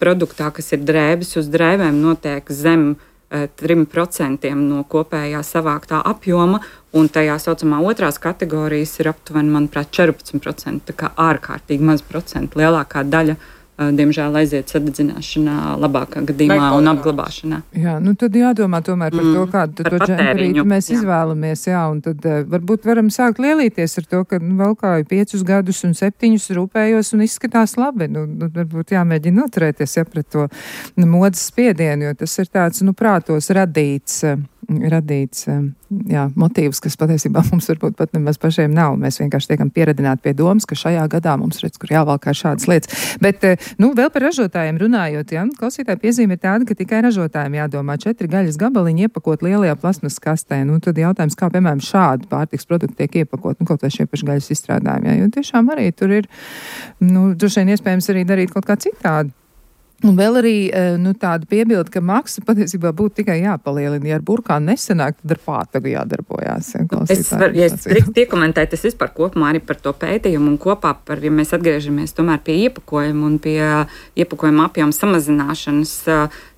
produktā, kas ir drēbes uz drēbēm, notiek zem trim procentiem no kopējā savāktā apjoma, un tajā saucamā otrās kategorijas ir aptuveni, manuprāt, četrpadsmit procenti, tā kā ārkārtīgi maz procenti. Lielākā daļa, diemžēl, aiziet sadedzināšanā, labākā gadījumā un apglabāšanā. Jā, nu tad jādomā tomēr par mm, to, kādu to džemperīti mēs jā. izvēlamies, jā, un tad uh, varbūt varam sākt lielīties ar to, ka nu, valkāju piecus gadus un septiņus rūpējos un izskatās labi. Nu, nu, varbūt jāmēģina noturēties, ja, pret to nu, modes spiedienu, jo tas ir tāds, nu, prātos radīts, uh, radīts, uh, jā, motīvs, kas patiesībā mums varbūt pat nemaz pašiem nav. Mēs vienkārši tiekam pieredināti pie domas, ka šajā gadā mums redz, kur jāvalkā šādas lietas. Bet, uh, Nu, vēl par ražotājiem runājot, ja? Klausītāja piezīme ir tāda, ka tikai ražotājiem jādomā četri gaļas gabaliņi iepakot lielajā plasmas kastē. Nu, tad jautājums, kā, piemēram, šādi pārtiks produkti tiek iepakot, nu, kaut vai šie paši gaļas izstrādājumi, ja? Jo tiešām arī tur ir, nu, droši vien iespējams arī darīt kaut kā citādi. Un vēl arī nu, tāda piebilda, ka maksa patiesībā būtu tikai jāpalielina. Ja ar burkānu nesanāk, tad ar pātagu jādarbojās. Ja, es varu, ja es drīkst iekomentēt, es vispār kopumā arī par to pētījumu un kopā par, ja mēs atgriežamies tomēr pie iepakojuma un pie iepakojuma apjoma samazināšanas,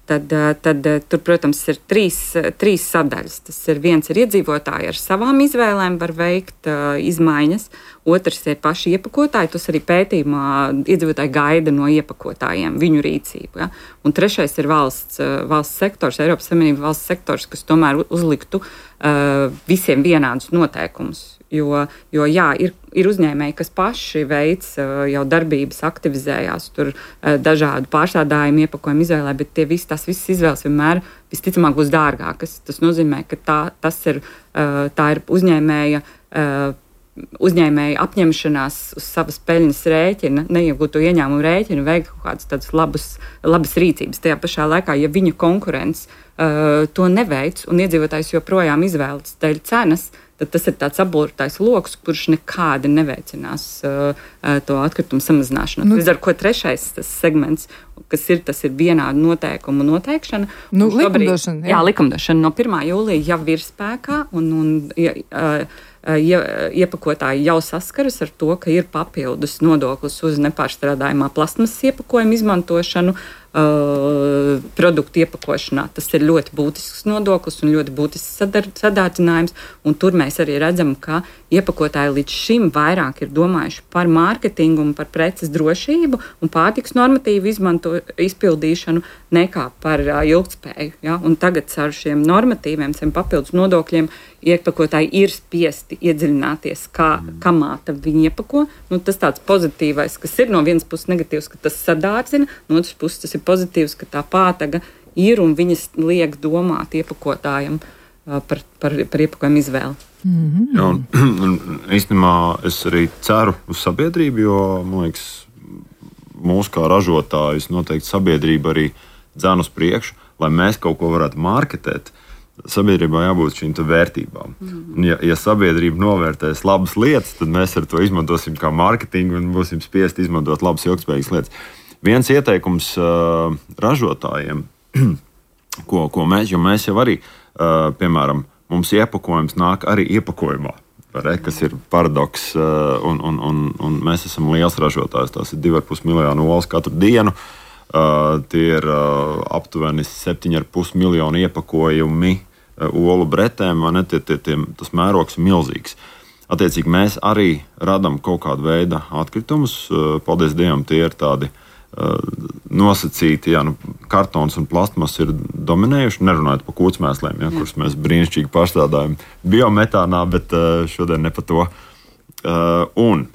Tad, tad tur, protams, ir trīs, trīs sadaļas. Tas ir viens ir iedzīvotāji ar savām izvēlēm var veikt uh, izmaiņas, otrs ir paši iepakotāji, tas arī pētījumā iedzīvotāji gaida no iepakotājiem viņu rīcību. Ja? Un trešais ir valsts, valsts sektors, Eiropas Savienība valsts sektors, kas tomēr uzliktu uh, visiem vienādus noteikumus. Jo, jo jā, ir, ir uzņēmēji, kas paši veic jau darbības, aktivizējās tur dažādu pārstrādājumu, iepakojumu izvēlē, bet tie visi, tās visas izvēles vienmēr visticamāk būs dārgākas. Tas nozīmē, ka tā, tas ir, tā ir uzņēmēja, uzņēmēja apņemšanās uz savas peļņas rēķina, neiegūto ieņēmumu rēķina, veikt kaut kādas tādas labas, labas rīcības. Tajā pašā laikā, ja viņa konkurence uh, to neveic un iedzīvotājs joprojām izvēlas dēļ cenas, tad tas ir tāds aburtais lokus, kurš nekādi neveicinās uh, to atkritumu samazināšanu. Nu, Līdz ar ko trešais tas segments, kas ir, tas ir vienādu noteikumu noteikšana. Nu, likumdošana. Jā. jā, likumdošana no pirmā jūlija jau ir spēkā un, un ja, uh, ja, iepakotāji jau saskaras ar to, ka ir papildus nodoklis uz nepārstrādājumā plasmas iepakojumu izmantošanu, Uh, produktu iepakošanā. Tas ir ļoti būtisks nodoklis un ļoti būtisks sadar, sadārdzinājums, un tur mēs arī redzam, ka iepakotāji līdz šim vairāk ir domājuši par mārketingu un par preces drošību un pārtiks normatīvu izmanto, izpildīšanu nekā par uh, ilgtspēju. Ja? Un tagad ar šiem normatīviem, šiem papildus nodokļiem iepakotāji ir spiesti iedziļināties, kā, kā māta viņi iepako. Nu, tas tāds pozitīvais, kas ir no vienas puses negatīvs, ka tas sadārdzina, no otras puses tas ir pozitīvs, ka tā pātaga ir un viņas liek domāt iepakotājiem uh, par, par, par iepakojumu izvēli. Mm-hmm. Jā, un, un īstenībā es arī ceru uz sabiedrību, jo, man liekas, mūsu kā ražotājus noteikti sabiedrība arī dzen uz priekšu, lai mēs kaut ko varētu marketēt. Sabiedrībā jābūt šīm vērtībām. Mm-hmm. Ja, ja sabiedrība novērtēs labas lietas, tad mēs ar to izmantosim kā mārketingu un būsim spiesti izmantot labas, ilgspējīgas lietas. Viens ieteikums uh, ražotājiem, ko, ko mēs, jo mēs jau arī, uh, piemēram, mums iepakojums nāk arī iepakojumā, re, kas ir paradoks, uh, un, un, un, un mēs esam liels ražotājs, tās ir divi ar pus miljonu olas katru dienu. Uh, tie ir uh, aptuveni septiņi ar pus miljonu iepakojumi uh, olu bretēm, vai ne? Tie, tie, tie, tas mērogs ir milzīgs. Attiecīgi mēs arī radam kaut kādu veidu atkritumus. Uh, paldies Dievam, tie ir tādi uh, nosacīti, jā, nu, kartons un plastmas ir dominējuši, nerunājot par kūtsmēsliem, ja, kurus mēs brīnišķīgi pārstrādājam biometānā, bet uh, šodien ne par to. Uh, un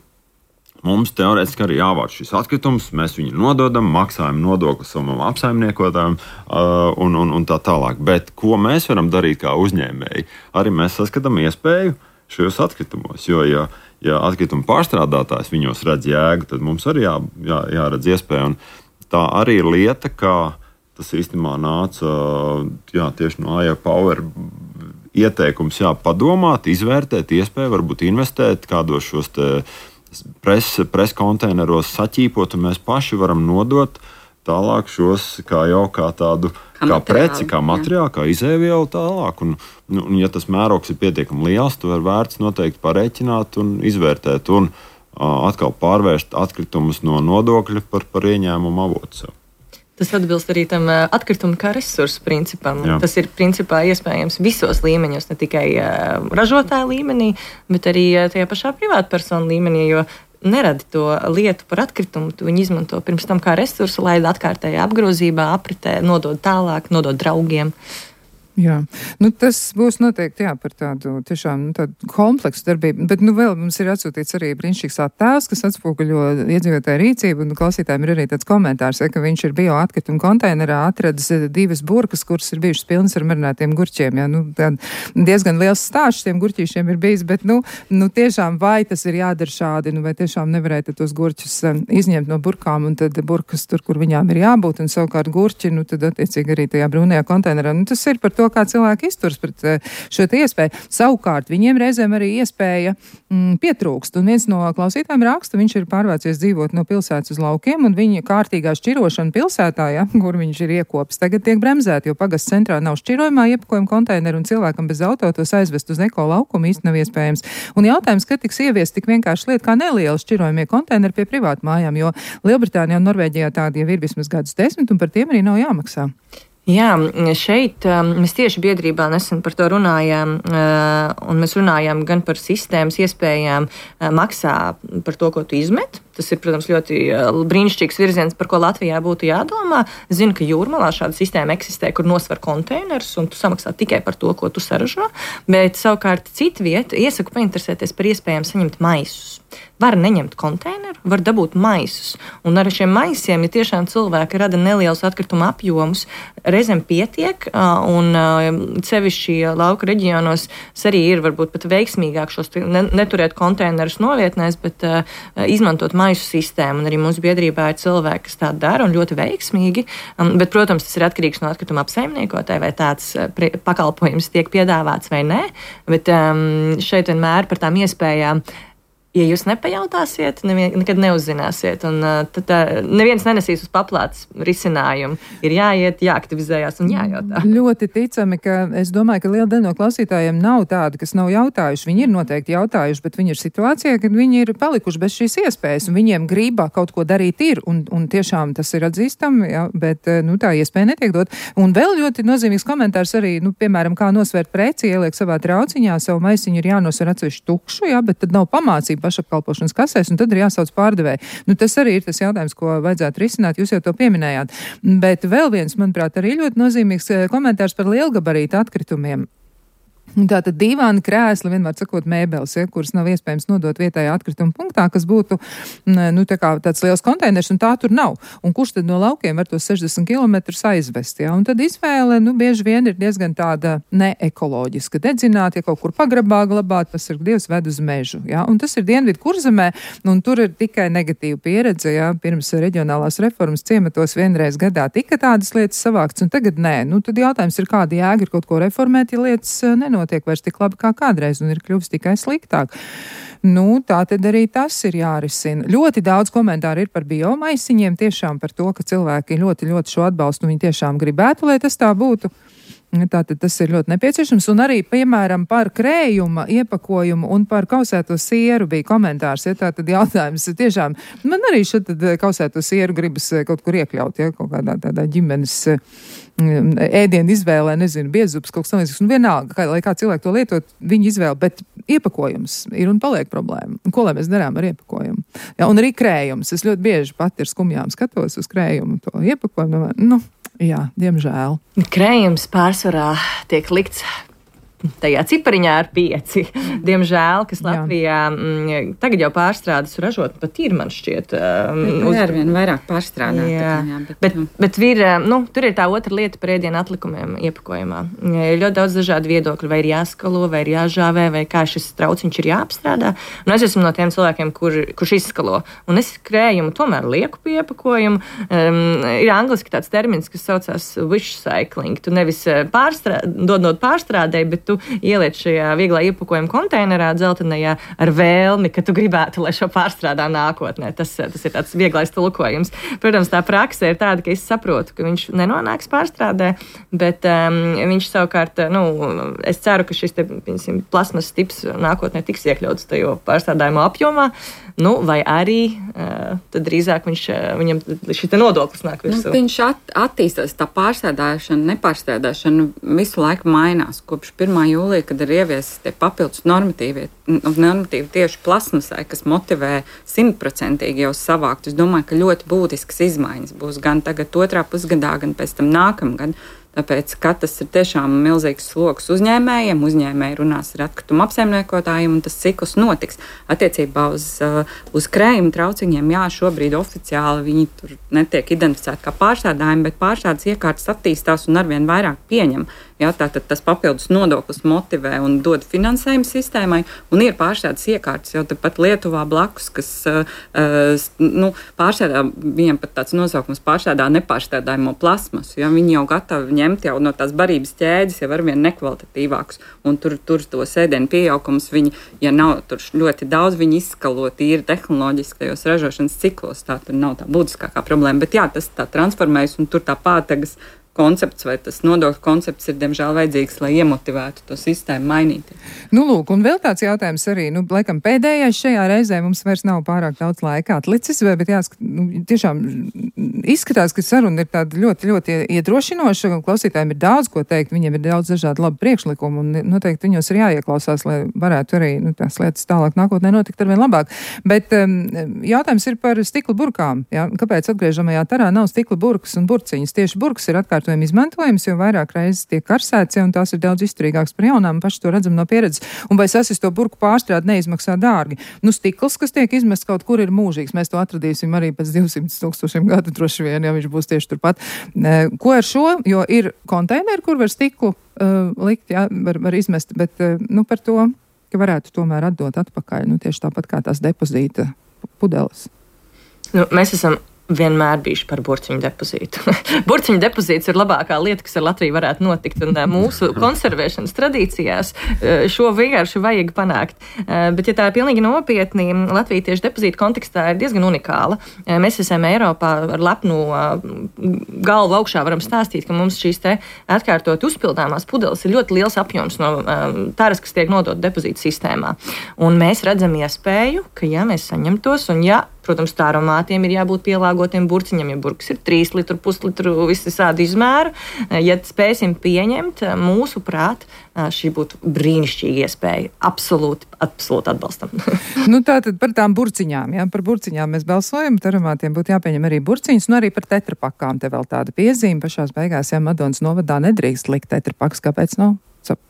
mums teorētiski arī jāvāc šis atkritums, mēs viņu nododam, maksājam nodokli savam apsaimniekotājam uh, un, un, un tā tālāk. Bet ko mēs varam darīt kā uzņēmēji? Arī mēs saskatām iespēju šajos atkritumos, jo, ja, ja atkrituma pārstrādātājs viņos redz jēgu, tad mums arī jā, jā, jāredz iespēju. Un tā arī ir lieta, kā tas īstenībā nāca jā, tieši no A I Power ieteikums, jā, padomāt, izvērtēt iespēju, varbūt investēt kādos šos te preses pres konteineros saķīpot, un mēs paši varam nodot tālāk šos kā jau kā tādu kā, kā preci, kā materiālu, kā izēvielu tālāk. Un, nu, un, ja tas mērogs ir pietiekami liels, to ir vērts noteikti parēķināt un izvērtēt un uh, atkal pārvērst atkritumus no nodokļa par, par ieņēmumu avotu sev. Tas atbilst arī tam atkritumu kā resursu principam. Jā. Tas ir principā iespējams visos līmeņos, ne tikai uh, ražotāja līmenī, bet arī uh, tajā pašā privātpersonu līmenī, jo neradi to lietu par atkritumu, tu viņu izmanto pirms tam kā resursu, lai atkārtējā apgrozībā, apritē, nodod tālāk, nodod draugiem. Jā, nu, tas būs noteikti jā, par tādu tiešām nu, tādu kompleksu darbību, bet nu, vēl mums ir atsūtīts arī brīnišķīgs attēls, kas atspoguļo iedzīvotāju rīcību, un klausītājiem ir arī tāds komentārs, ja, ka viņš ir bio atkritumu konteinerā atradis divas burkas, kuras ir bijušas pilnas ar marinātiem gurķiem. Jā, nu, diezgan liels stāsts tiem gurķīšiem ir bijis, bet nu, nu, tiešām vai tas ir jādara šādi, nu, vai tiešām nevarētu tos gurķus um, izņemt no burkām, un tad burkas tur, kur viņām ir jābūt, un savukārt gurķi, nu, tad attiecīgi arī tajā brūnajā konteinerā. Nu, tas ir par to, kā cilvēki izturs pret šo te iespēju. Savukārt, viņiem reizēm arī iespēja mm, pietrūkst. Un viens no klausītājiem raksta, viņš ir pārvācies dzīvot no pilsētas uz laukiem, un viņa kārtīgā šķirošana pilsētā, ja, kur viņš ir iekopis, tagad tiek bremzēta, jo pagasts centrā nav šķirojumā iepakojuma konteineru, un cilvēkam bez auto tos aizvest uz eko laukumu īsti nav iespējams. Un jautājums, kad tiks ieviest tik vienkārši lieta kā neliela šķirojumie konteineri pie privātu mājām, jo Lielbritānijā un Norvēģijā tādi jau ir vismaz gadus desmit, un par tiem arī nav jāmaksā. Jā, šeit mēs tieši biedrībā nesen par to runājām, un mēs runājām gan par sistēmas iespējām maksā par to, ko tu izmet. Tas ir, protams, ļoti brīnišķīgs virziens, par ko Latvijā būtu jādomā. Zinu, ka Jūrmalā šāda sistēma eksistē, kur nosver konteinerus, un tu samaksā tikai par to, ko tu saražo. Bet savukārt citu vietu iesaku painteresēties par iespējām saņemt maisus. Var neņemt konteineru, var dabūt maisus. Un ar šiem maisiem, ja tiešām cilvēki rada nelielus atkrituma apjomus, reizēm pietiek, un sevišķi lauka reģionos arī ir varbūt pat veiksmīgāk šos neturēt konteinerus novietnēs, bet izmantot maisu sistēmu. Un arī mūsu biedrībā ir cilvēki, kas tā dara un ļoti veiksmīgi. Bet, protams, tas ir atkarīgs no atkrituma apsaimniekotāja, vai tāds pakalpojums tiek piedāvāts vai nē. Bet šeit vienmēr par tām iespējām. Ja jūs nepajautāsiet, nevien, nekad neuzzināsiet, un uh, tad uh, neviens nenesīs uz paplātes risinājumu. Ir jāiet, jāaktivizējās un jājautā. Ļoti ticami, ka es domāju, ka liela daļa no klausītājiem nav tāda, kas nav jautājuši. Viņi ir noteikti jautājuši, bet viņi ir situācijā, kad viņi ir palikuši bez šīs iespējas, un viņiem gribā kaut ko darīt ir, un, un tiešām tas ir atzīstami, jā, bet nu, tā iespēja netiek dot. Un vēl ļoti nozīmīgs komentārs arī, nu, piemēram, kā nosvērt preci, ieliek savā trauciņā, savu maisiņu ir jānosver atsevišķi tukšu, jā, bet tad nav pamācība pašapkalpošanas kasēs, un tad ir jāsauc pārdevēji. Nu, tas arī ir tas jautājums, ko vajadzētu risināt, jūs jau to pieminējāt. Bet vēl viens, manuprāt, arī ļoti nozīmīgs komentārs par lielgabarītu atkritumiem. Tātad dīvāni, krēsli, vienmēr sakot mēbeles, ja, kuras nav iespējams nodot vietējā atkrituma punktā, kas būtu nu, tā kā tāds liels konteiners, un tā tur nav. Un kurš tad no laukiem var tos sešdesmit kilometrus aizvest? Ja? Un tad izvēle nu, bieži vien ir diezgan tāda neekoloģiska. Dedzināt, ja kaut kur pagrabā glabāt, tas ir Dievs ved uz mežu. Ja? Un tas ir Dienvidu Kurzemē, un tur ir tikai negatīva pieredze. Ja? Pirms reģionālās reformas ciematos vienreiz gadā tika tādas lietas savākts, un tagad nē. Nu, tad jautājums ir, kāda jēga ir kaut ko reformēt, ja lietas nenot. Notiek vairs tik labi kā kādreiz un ir kļuvis tikai sliktāk. Nu, tā tad arī tas ir jārisina. Ļoti daudz komentāru ir par biomaisiņiem, tiešām par to, ka cilvēki ļoti, ļoti šo atbalstu, un viņi tiešām gribētu, lai tas tā būtu. Tātad tas ir ļoti nepieciešams, un arī, piemēram, par krējuma iepakojumu un par kausēto sieru bija komentārs, ja tātad jautājums tiešām, man arī šatad kausēto sieru gribas kaut kur iekļaut, ja kaut kādā tādā ģimenes ēdienu izvēlē, nezinu, biezups, kaut kas tamlīdzīgs, un vienalga, kā, lai kā cilvēki to lietot, viņi izvēle, bet iepakojums ir un paliek problēma. Un ko lai mēs darām ar iepakojumu? Ja, un arī krējums, es ļoti bieži pat ar skumjām skatos uz krējumu, to iepakojumu, nu, jā, diemžēl. Krējums pārsvarā tiek likts tajā cipariņā ar pieci. Diemžēl, kas Latvijā m, tagad jau pārstrādes ražot, pat ir, man šķiet. Um, uz... ar vien vairāk pārstrādāt. Jā, jā, bet, bet, nu. bet vir, nu, tur ir tā otra lieta par ēdienu atlikumiem iepakojumā. Ir ļoti daudz dažādu viedokļu, vai ir jāskalo, vai ir jāžāvē, vai kā šis trauciņš ir jāapstrādā. Un es esmu no tiem cilvēkiem, kur, kurš izskalo. Un es krējumu tomēr lieku pie iepakojumu. Um, ir angliski tāds termins, kas saucās wish cycling. Tu nevis pārstrā, dodot pārstrādē, bet tu ieliec šajā vieglā iepakojuma konteinerā dzeltenajā ar vēlmi, ka tu gribētu, lai šo pārstrādā nākotnē. Tas, tas ir tāds vieglais tulkojums. Protams, tā prakse ir tāda, ka es saprotu, ka viņš nenonāks pārstrādē, bet um, viņš savukārt, nu, es ceru, ka šis te, piemēram, plasmas tips nākotnē tiks iekļauts tajā pārstrādājumā apjomā, nu, vai arī uh, tad drīzāk viņš, viņam šī te nodoklis nāk virsū. Nu, viņš at, attīstās, tā pārstrādāšana, nepārstrādāšana visu laiku mainās. Kopš pirmā jūlija, kad ir ieviesis tie papildus normatīvi, normatīvi tieši plasmasai, kas motivē simtprocentīgi jau savākt. Es domāju, ka ļoti būtiskas izmaiņas būs gan tagad otrā pusgadā, gan pēc tam nākamgad. Tāpēc, ka tas ir tiešām milzīgs sloks uzņēmējiem, uzņēmēji runās ar atkritumu apsaimniekotājiem, un tas cikls notiks. Attiecībā uz, uz krējuma trauciņiem, jā, šobrīd oficiāli viņi tur netiek identificēti kā pārstrādājumi, bet pārstrādes iekārtas attīstās un arvien vairāk pieņem. Jā, tātad tas papildus nodoklis motivē un dod finansējumu sistēmai, un ir pārstrādes iekārtas jau tepat Lietuvā blakus, kas uh, nu, pārstrādā, viņiem pat tāds nosaukums pārstrādā nepārstrādājumo plasmasu, ja viņi jau gatavi ņemt jau no tās barības ķēdes jau arvien nekvalitatīvākus, un tur, tur to sēdienu pieaugums, viņi, ja nav tur ļoti daudz, viņi izskalo tīri tehnoloģiski tajos ražošanas ciklos, tā tur nav tā būtiskākā problēma, bet jā, tas tā transformējas, un tur tā pātagas koncepts vai tas nodokļu koncepts ir, diemžēl, vajadzīgs, lai iemotivētu to sistēmu mainīt. Nu, lūk, un vēl tāds jautājums arī, nu, laikam pēdējais šajā reizē mums vairs nav pārāk daudz laika atlicis, bet jāskat, nu, tiešām izskatās, ka saruna ir tāda ļoti, ļoti iedrošinoša, klausītājiem ir daudz ko teikt, viņiem ir daudz dažādu labu priekšlikumu, un noteikti viņos ir jāieklausās, lai varētu arī, nu, tās lietas tālāk nākotnē notikt arvien labāk. Bet um, jautājums ir par stikla burkām, jā? Kāpēc atgriežamajā tarā nav stikla burkas un burciņas? Tieši burkas ir atkārt izmantojums, jo vairāk reizes tiek karsēts, un tās ir daudz izturīgākas par jaunām, paši to redzam no pieredzes, un vai sasis to burku pārstrādi neizmaksā dārgi. Nu, stikls, kas tiek izmests kaut kur, ir mūžīgs. Mēs to atradīsim arī pēc divsimt tūkstošiem gadu droši vien, ja viņš būs tieši turpat. Ko ar šo? Jo ir konteineri, kur var stiklu uh, likt, jā, var, var izmest, bet uh, nu, par to, ka varētu tomēr atdot atpakaļ, nu, tieši tāpat kā tās depozīta pudeles. Nu, mēs esam vienmēr bijuši par burciņu depozītu. Burciņu depozīts ir labākā lieta, kas ar Latviju varētu notikt, un mūsu konservēšanas tradīcijās šo vienkārši vajag panākt. Bet, ja tā ir pilnīgi nopietni, Latvija tieši depozītu kontekstā ir diezgan unikāla. Mēs esam Eiropā ar lepnu galvu augšā varam stāstīt, ka mums šīs te atkārtot uzpildāmās pudeles ir ļoti liels apjoms no taras, kas tiek nodot depozītu sistēmā. Un mēs redzam iespēju, ka ja mēs saņemtos, un ja protams, tāromātiem ir jābūt pielāgotiem burciņam, ja burkas ir trīs litru, puslitru, visi sādi izmēru. Ja spēsim pieņemt, mūsu prāt, šī būtu brīnišķīga iespēja. Absolūti, absolūti atbalstam. Nu, tātad par tām burciņām, jā, par burciņām mēs balsojam, tāromātiem būtu jāpieņem arī burciņas, un arī par tetrapakām te vēl tāda piezīme. Pašās beigās, ja Madonas novadā nedrīkst likt tetrapakas, kāpēc nav?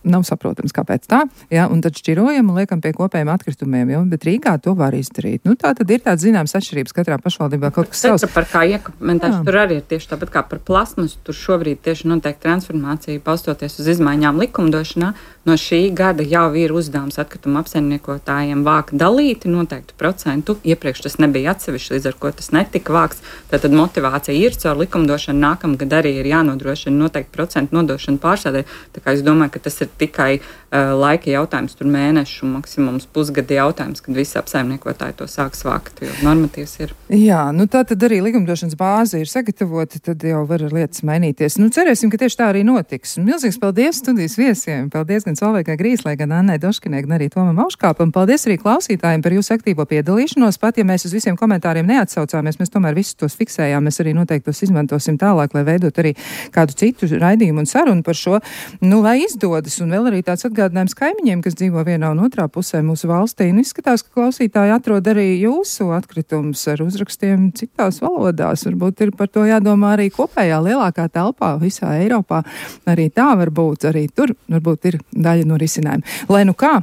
Nav saprotams, kāpēc tā, jā, un tad šķirojam un liekam pie kopējiem atkritumiem, jo, bet Rīgā to var izdarīt. Nu, tā tad ir tāds zināms atšķirības katrā pašvaldībā kaut kas savs. Par kā iekamentēšu, tur arī ir tieši tāpat kā par plasmasu, tur šobrīd tieši notiek transformācija, balstoties uz izmaiņām likumdošanā. No šī gada jau ir uzdevums atkritumu apsaimniekotājiem vākt dalīti noteiktu procentu. Iepriekš tas nebija atsevišķi, līdz ar ko tas netika vākts. Tātad motivācija ir caur likumdošanu, nākamgad arī ir jānodrošina noteikti procentu nodošana pārstrādē. Tā kā es domāju, ka tas ir tikai uh, laika jautājums, tur mēnešu, maksimums pusgada jautājums, kad visi apsaimniekotāji to sāks vākt, jo normatīvs ir. Jā, nu tā tad arī likumdošanas bāze ir sagatavota, tad jau var lietas mainīties. Nu cerēsim, ka tieši tā arī notiks. Milzīgs paldies studijas viesiem. Paldies gan Solveigai Grīslai, gan Annai Doškinai, gan arī Tomam Auškāpam. Paldies arī klausītājiem par jūsu aktīvo piedalīšanos. Pat ja mēs uz visiem komentāriem neatsaucāmies, mēs tomēr visus tos fiksējām. Mēs arī noteikti tos izmantosim tālāk, lai veidot arī kādu citu raidījumu un sarunu par šo, nu, lai izdodas. Un vēl arī tāds atgādinājums kaimiņiem, kas dzīvo vienā un otrā pusē mūsu valstī. Un izskatās, ka klausītāji atrod arī jūsu atkritumus ar uzrakstiem citās valodās. Varbūt ir par to jādomā arī kopējā lielākā telpā visā Eiropā. Arī tā var būt, arī tur varbūt ir daļa no risinājuma. Lai nu kā,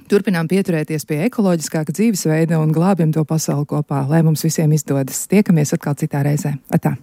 turpinām pieturēties pie ekoloģiskāka dzīvesveida un glābjam to pasauli kopā, lai mums visiem izdodas. Tiekamies atkal citā reizē. Atā!